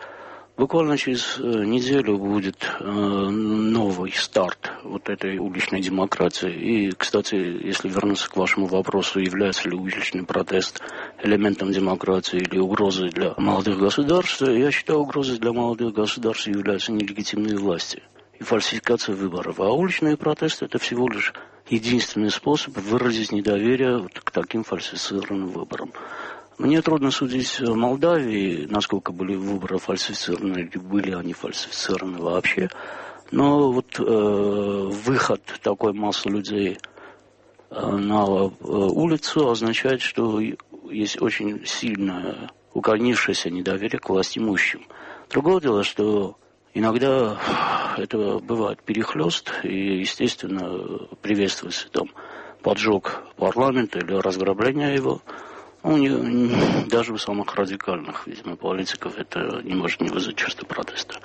Буквально через неделю будет новый старт вот этой уличной демократии. И, кстати, если вернуться к вашему вопросу, является ли уличный протест элементом демократии или угрозой для молодых государств, я считаю, угрозой для молодых государств являются нелегитимные власти и фальсификация выборов. А уличные протесты – это всего лишь единственный способ выразить недоверие к таким фальсифицированным выборам. Мне трудно судить в Молдавии, насколько были выборы фальсифицированы, или были они фальсифицированы вообще. Но выход такой массы людей на улицу означает, что есть очень сильное укоренившееся недоверие к властимущим. Другое дело, что иногда это бывает перехлёст, и, естественно, приветствуется поджог парламента или разграбление его. Даже у самых радикальных, видимо, политиков это не может не вызвать чувство протеста.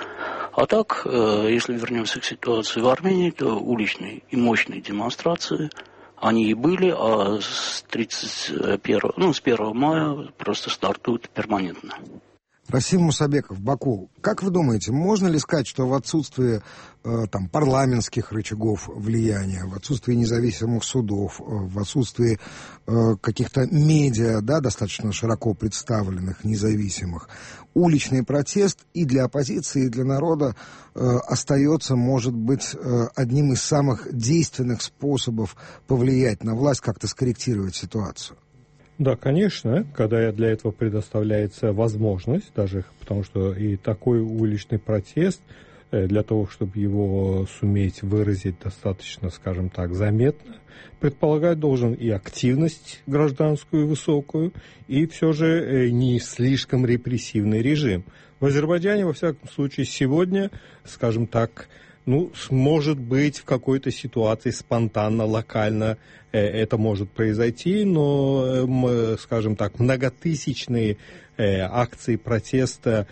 А так, если вернемся к ситуации в Армении, то уличные и мощные демонстрации, они и были, а с 1 мая просто стартуют перманентно. Расим Мусабеков, Баку, как вы думаете, можно ли сказать, что в отсутствии парламентских рычагов влияния, в отсутствии независимых судов, в отсутствии каких-то медиа, достаточно широко представленных, независимых, уличный протест и для оппозиции, и для народа остается, может быть, одним из самых действенных способов повлиять на власть, как-то скорректировать ситуацию? Да, конечно, когда для этого предоставляется возможность, даже потому что и такой уличный протест для того, чтобы его суметь выразить достаточно, скажем так, заметно, предполагать должен и активность гражданскую высокую, и все же не слишком репрессивный режим. В Азербайджане, во всяком случае, сегодня, скажем так, может быть, в какой-то ситуации спонтанно, локально это может произойти, но, скажем так, многотысячные акции протеста,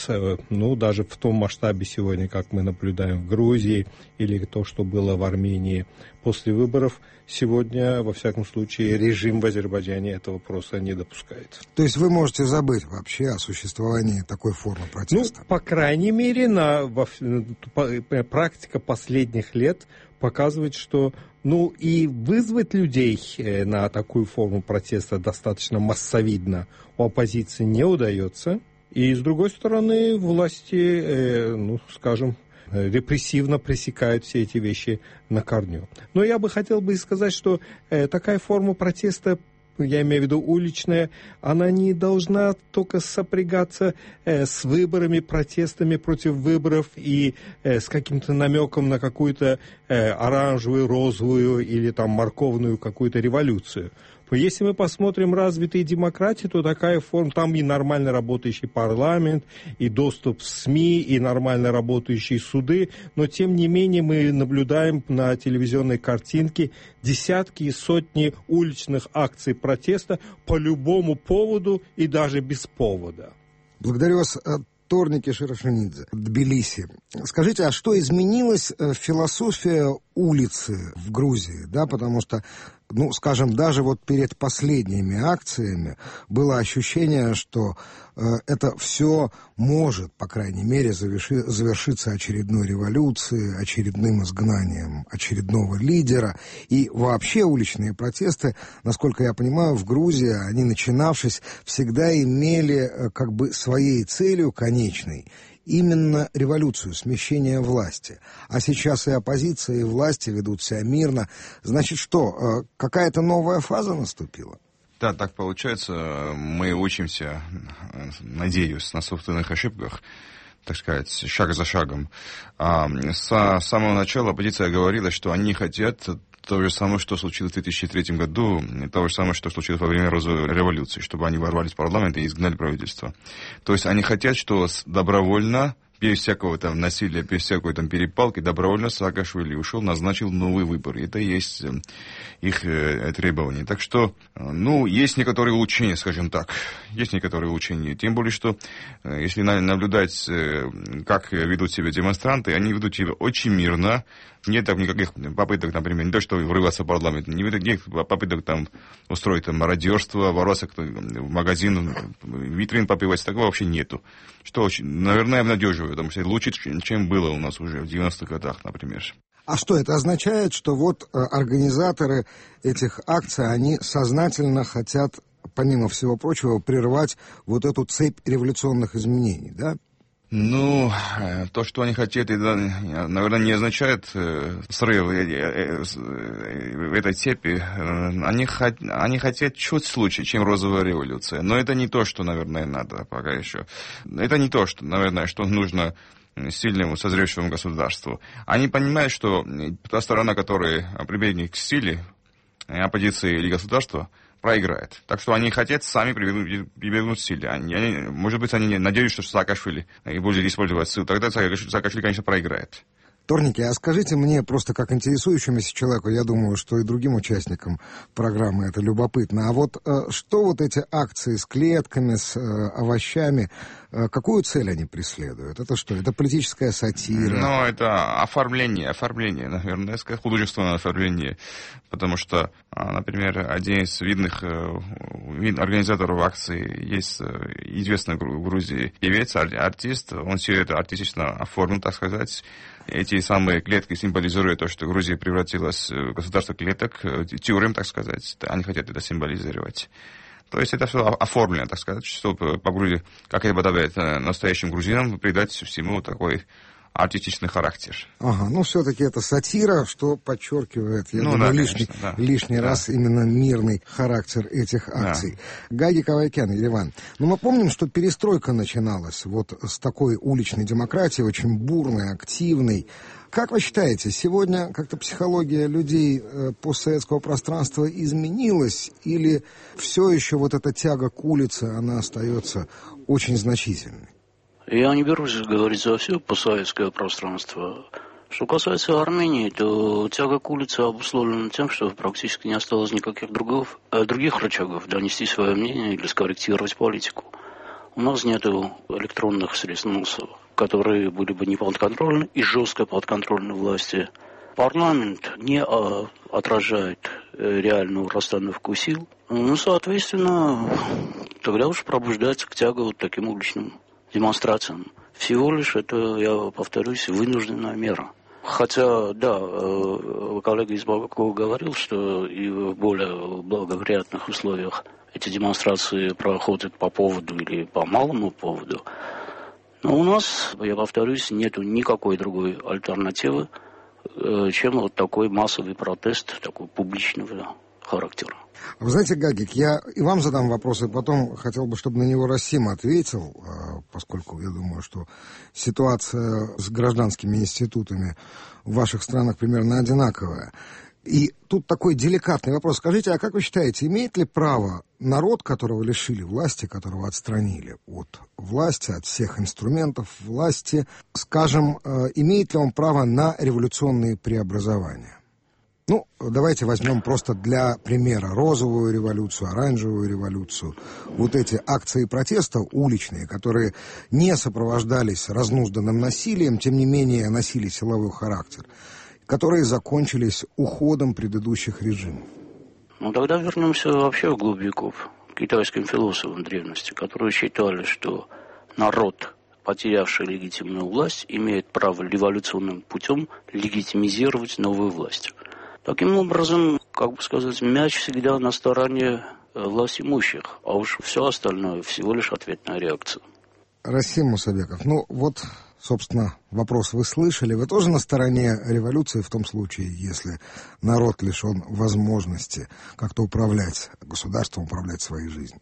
даже в том масштабе сегодня, как мы наблюдаем в Грузии, или то, что было в Армении после выборов, сегодня, во всяком случае, режим в Азербайджане этого просто не допускает. То есть вы можете забыть вообще о существовании такой формы протеста? По крайней мере, практика последних лет показывает, что и вызвать людей на такую форму протеста достаточно массовидно у оппозиции не удается. И, с другой стороны, власти, скажем, репрессивно пресекают все эти вещи на корню. Но я бы хотел сказать, что такая форма протеста, я имею в виду уличная, она не должна только сопрягаться с выборами, протестами против выборов и с каким-то намеком на какую-то оранжевую, розовую или там морковную какую-то революцию. Если мы посмотрим развитые демократии, то такая форма, там и нормально работающий парламент, и доступ в СМИ, и нормально работающие суды, но тем не менее мы наблюдаем на телевизионной картинке десятки и сотни уличных акций протеста по любому поводу и даже без повода. Благодарю вас, Торники Шарашинидзе, Тбилиси. Скажите, а что изменилось философия улицы в Грузии? Да, потому что, скажем, даже перед последними акциями было ощущение, что это все может, по крайней мере, завершиться очередной революцией, очередным изгнанием очередного лидера. И вообще уличные протесты, насколько я понимаю, в Грузии, они, начинавшись, всегда имели своей целью конечной именно революцию, смещение власти. А сейчас и оппозиция, и власти ведут себя мирно. Значит, что, какая-то новая фаза наступила? Да, так получается. Мы учимся, надеюсь, на собственных ошибках, так сказать, шаг за шагом. С самого начала оппозиция говорила, что они хотят то же самое, что случилось в 2003 году, то же самое, что случилось во время розовой революции, чтобы они ворвались в парламент и изгнали правительство. То есть они хотят, что добровольно, без всякого насилия, без всякой перепалки, добровольно Саакашвили ушел, назначил новый выбор. Это и есть их требования. Так что, есть некоторые улучшения, скажем так. Есть некоторые улучшения. Тем более, что если наблюдать, как ведут себя демонстранты, они ведут себя очень мирно. Нет никаких попыток, например, не то, что врываться в парламент, никаких попыток устроить мародерство, ворваться в магазин, витрин попивать, такого вообще нету. Что очень, наверное, обнадеживает, потому что лучше, чем было у нас уже в 90-х годах, например. А что это означает, что организаторы этих акций, они сознательно хотят, помимо всего прочего, прервать эту цепь революционных изменений, да? То, что они хотят, это, наверное, не означает срыв этой цепи. Они хотят чуть лучше, чем розовая революция. Но это не то, что, наверное, надо пока еще. Это не то, что, наверное, что нужно сильному, созревшему государству. Они понимают, что та сторона, которая прибегнет к силе, оппозиции или государства, проиграет. Так что они хотят сами прибегнуть к силе. Может быть, они надеются, что Саакашвили будет использовать силу. Тогда Саакашвили, конечно, проиграет. Торники, а скажите мне, просто как интересующемуся человеку, я думаю, что и другим участникам программы это любопытно, что эти акции с клетками, с овощами, какую цель они преследуют? Это что, это политическая сатира? Это оформление, наверное, художественное оформление, потому что, например, один из видных организаторов акции есть известный в Грузии певец, артист, он все это артистично оформил, так сказать. Эти самые клетки символизируют то, что Грузия превратилась в государство клеток, тюрем, так сказать. Они хотят это символизировать. То есть это все оформлено, так сказать, чтобы по Грузии, как это подобает настоящим грузинам, придать всему такой артистичный характер. Ага, ну все-таки это сатира, что подчеркивает, я думаю, лишний раз именно мирный характер этих акций. Гаги Кавайкян, Ереван. Но мы помним, что перестройка начиналась вот с такой уличной демократии, очень бурной, активной. Как вы считаете, сегодня как-то психология людей постсоветского пространства изменилась, или все еще вот эта тяга к улице, она остается очень значительной? Я не берусь говорить за все постсоветское пространство. Что касается Армении, то тяга к улице обусловлена тем, что практически не осталось никаких других рычагов донести свое мнение или скорректировать политику. У нас нет электронных средств массовых, которые были бы не подконтрольны и жестко подконтрольны власти. Парламент не отражает реальную расстановку сил. Ну, соответственно, тогда уж пробуждается к тяге вот таким уличным демонстрациям. Всего лишь это, я повторюсь, вынужденная мера. Хотя, да, коллега из Бабакова говорил, что и в более благоприятных условиях эти демонстрации проходят по поводу или по малому поводу. Но у нас, я повторюсь, нету никакой другой альтернативы, чем вот такой массовый протест, такой публичного характера. Вы знаете, Гагик, я и вам задам вопрос, и потом хотел бы, чтобы на него Расим ответил, поскольку я думаю, что ситуация с гражданскими институтами в ваших странах примерно одинаковая. И тут такой деликатный вопрос. Скажите, а как вы считаете, имеет ли право народ, которого лишили власти, которого отстранили от власти, от всех инструментов власти, скажем, имеет ли он право на революционные преобразования? Ну, давайте возьмем просто для примера розовую революцию, оранжевую революцию. Вот эти акции протеста уличные, которые не сопровождались разнузданным насилием, тем не менее носили силовой характер, которые закончились уходом предыдущих режимов. Ну, тогда вернемся вообще в глубь веков к китайским философам древности, которые считали, что народ, потерявший легитимную власть, имеет право революционным путем легитимизировать новую власть. Таким образом, как бы сказать, мяч всегда на стороне власть имущих, а уж все остальное всего лишь ответная реакция. Расим Мусабеков, ну вот, собственно, вопрос вы слышали. Вы тоже на стороне революции в том случае, если народ лишен возможности как-то управлять государством, управлять своей жизнью?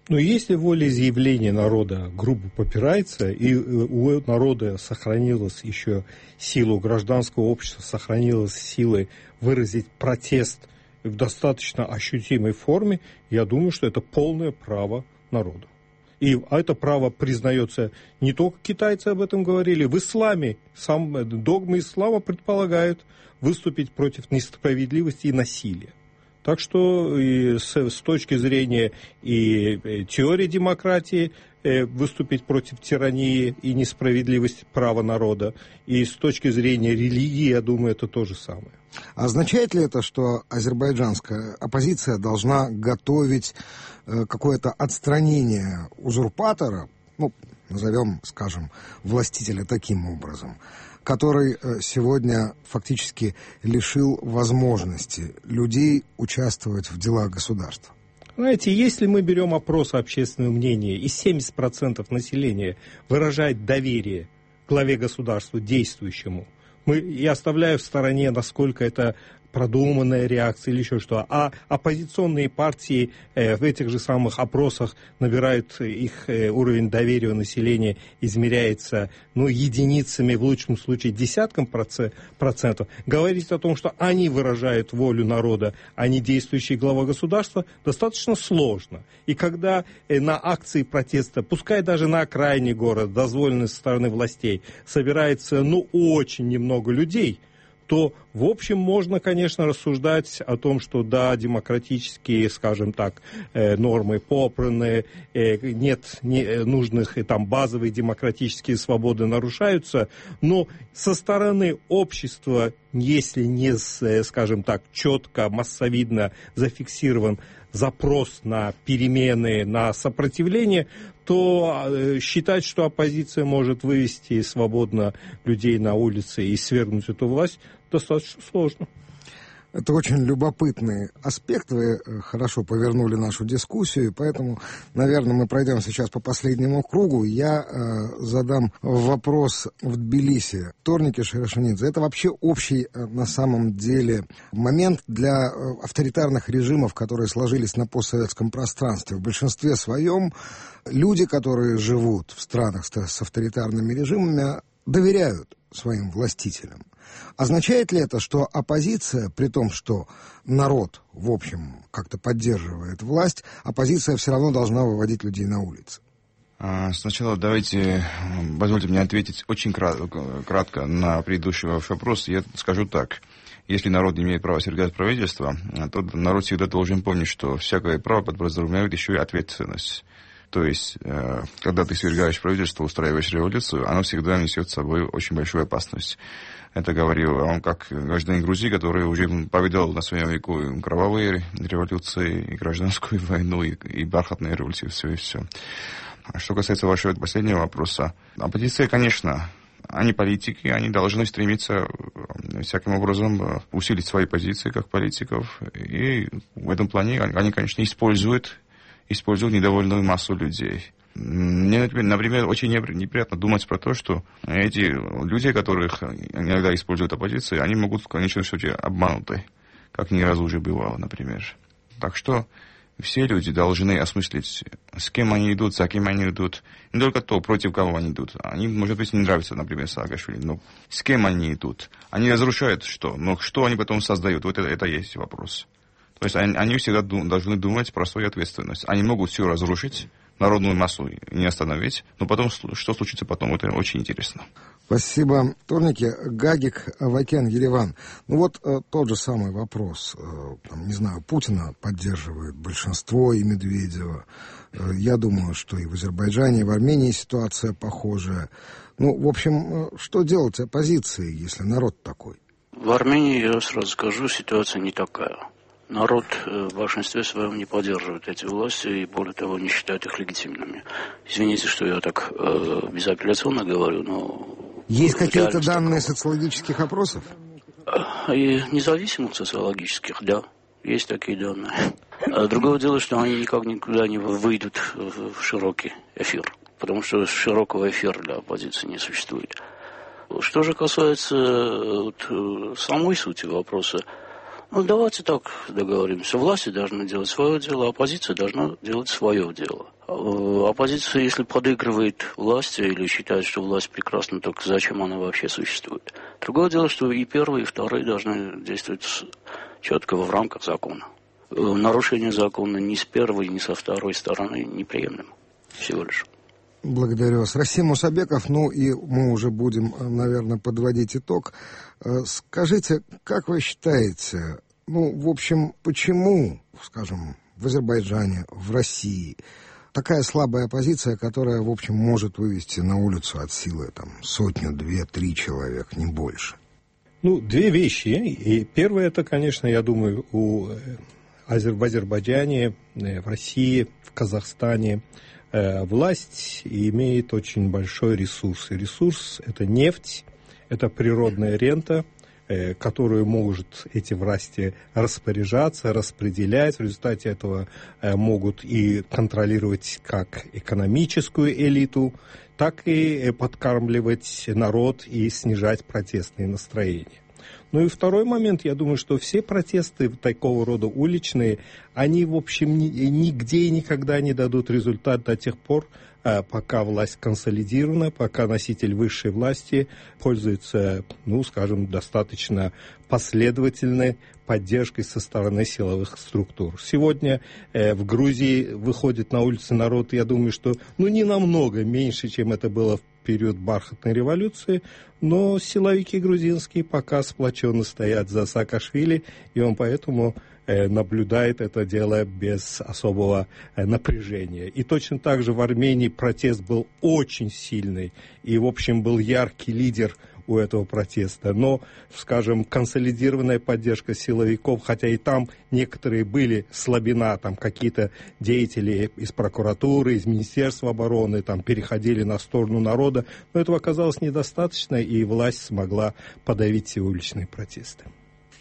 Но если волеизъявление народа грубо попирается, и у народа сохранилась еще сила, у гражданского общества сохранилась сила выразить протест в достаточно ощутимой форме, я думаю, что это полное право народа. И это право признается, не только китайцы об этом говорили, в исламе, сам догмы ислама предполагают выступить против несправедливости и насилия. Так что и с точки зрения и теории демократии выступить против тирании и несправедливости права народа, и с точки зрения религии, я думаю, это то же самое. Означает ли это, что азербайджанская оппозиция должна готовить какое-то отстранение узурпатора, ну, назовем, скажем, властителя таким образом, который сегодня фактически лишил возможности людей участвовать в делах государства? Знаете, если мы берем опрос общественного мнения, и 70% населения выражает доверие главе государства, действующему, я оставляю в стороне, насколько это продуманная реакция или еще что. А оппозиционные партии в этих же самых опросах набирают, их уровень доверия у населения измеряется единицами, в лучшем случае десятком процентов. Говорить о том, что они выражают волю народа, а не действующий глава государства, достаточно сложно. И когда на акции протеста, пускай даже на окраине города, дозволенной со стороны властей, собирается очень немного людей, то, в общем, можно, конечно, рассуждать о том, что, да, демократические, скажем так, нормы попраны, нет нужных там базовые демократические свободы нарушаются, но со стороны общества, если не, скажем так, четко, массовидно зафиксирован запрос на перемены, на сопротивление, то считать, что оппозиция может вывести свободно людей на улицы и свергнуть эту власть, достаточно сложно. Это очень любопытный аспект. Вы хорошо повернули нашу дискуссию, поэтому, наверное, мы пройдем сейчас по последнему кругу. Я задам вопрос в Тбилиси. Торники Шерешенидзе. Это вообще общий, на самом деле, момент для авторитарных режимов, которые сложились на постсоветском пространстве. В большинстве своем люди, которые живут в странах с авторитарными режимами, доверяют своим властителям. Означает ли это, что оппозиция, при том, что народ, в общем, как-то поддерживает власть, оппозиция все равно должна выводить людей на улицы? Сначала позвольте мне ответить очень кратко на предыдущий ваш вопрос. Я скажу так. Если народ не имеет права свергать правительство, то народ всегда должен помнить, что всякое право подразумевает еще и ответственность. То есть, когда ты свергаешь правительство, устраиваешь революцию, оно всегда несет с собой очень большую опасность. Это говорил он как гражданин Грузии, который уже повидал на своем веку кровавые революции, и гражданскую войну, и бархатные революции, все и все. Что касается вашего последнего вопроса, оппозиция, конечно, они политики, они должны стремиться всяким образом усилить свои позиции как политиков, и в этом плане они, конечно, используют недовольную массу людей. Мне, например, очень неприятно думать про то, что эти люди, которых иногда используют оппозиции, они могут в конечном счете обмануты, как ни разу уже бывало, например. Так что все люди должны осмыслить, с кем они идут, за кем они идут. Не только то, против кого они идут. Они, может быть, не нравятся, например, Саакашвили, но с кем они идут. Они разрушают что? Но что они потом создают? Вот это есть вопрос. То есть они всегда должны думать про свою ответственность. Они могут все разрушить, народную массу не остановить, но потом, что случится потом, это очень интересно. Спасибо, Торники. Гагик, Авакян, Ереван. Ну вот тот же самый вопрос. Не знаю, Путина поддерживает большинство и Медведева. Я думаю, что и в Азербайджане, и в Армении ситуация похожая. Ну, в общем, что делать оппозиции, если народ такой? В Армении, я сразу скажу, ситуация не такая. Народ в большинстве своем не поддерживает эти власти и, более того, не считает их легитимными. Извините, что я так безапелляционно говорю, но... Есть какие-то данные социологических опросов? И независимых социологических, да, есть такие данные. Другое дело, что они никуда не выйдут в широкий эфир, потому что широкого эфира для оппозиции не существует. Что же касается самой сути вопроса, ну, давайте так договоримся. Власти должны делать свое дело, оппозиция должна делать свое дело. Оппозиция, если подыгрывает власти или считает, что власть прекрасна, так зачем она вообще существует? Другое дело, что и первые, и вторые должны действовать четко в рамках закона. Нарушение закона ни с первой, ни со второй стороны неприемлемо. Всего лишь. Благодарю вас. Расим Мусабеков, ну и мы уже будем, наверное, подводить итог. Скажите, как вы считаете, ну, в общем, почему, скажем, в Азербайджане, в России такая слабая оппозиция, которая, в общем, может вывести на улицу от силы там 100, 2, 3 человек, не больше? Ну, две вещи. И первое, это, конечно, я думаю, в Азербайджане, в России, в Казахстане власть имеет очень большой ресурс. И ресурс – это нефть, это природная рента, которую могут эти власти распоряжаться, распределять. В результате этого могут и контролировать как экономическую элиту, так и подкармливать народ и снижать протестные настроения. Ну и второй момент, я думаю, что все протесты такого рода уличные, они, в общем, нигде и никогда не дадут результат до тех пор, пока власть консолидирована, пока носитель высшей власти пользуется, ну, скажем, достаточно последовательной поддержкой со стороны силовых структур. Сегодня в Грузии выходит на улицы народ, я думаю, что не намного меньше, чем это было в период бархатной революции, но силовики грузинские пока сплоченно стоят за Саакашвили, и он поэтому наблюдает это дело без особого напряжения. И точно так же в Армении протест был очень сильный, и, в общем, был яркий лидер у этого протеста. Но, скажем, консолидированная поддержка силовиков, хотя и там некоторые были слабина, там какие-то деятели из прокуратуры, из Министерства обороны там переходили на сторону народа, но этого оказалось недостаточно, и власть смогла подавить все уличные протесты.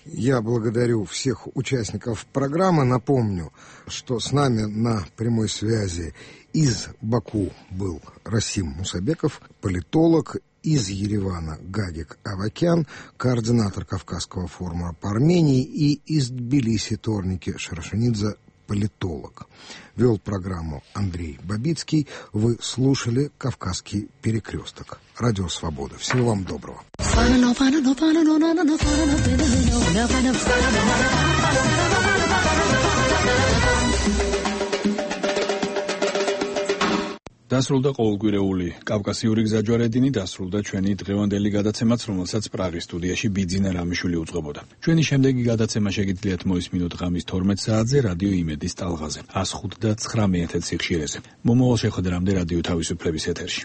Я благодарю всех участников программы. Напомню, что с нами на прямой связи из Баку был Расим Мусабеков, политолог, из Еревана Гагик Авакян, координатор Кавказского форума по Армении, и из Тбилиси Торники Шарашанидзе, политолог. Вел программу Андрей Бабицкий. Вы слушали «Кавказский перекресток». Радио «Свобода». Всего вам доброго. დასრულდა ყოველკვირეული კავკასიური გზაჯვარედინი, დასრულდა ჩვენი დღევანდელი გადაცემაც, რომელსაც პრაღის სტუდიაში ბიძინა რამიშვილი უძღვებოდა. ჩვენი შემდეგი გადაცემა შეგიძლიათ მოისმინოთ ღამის 12 საათზე რადიო იმედის ტალღაზე 105.9 MHz სიხშირეზე. მომავალ შეხვედრამდე რადიო თავისუფლების ეთერში.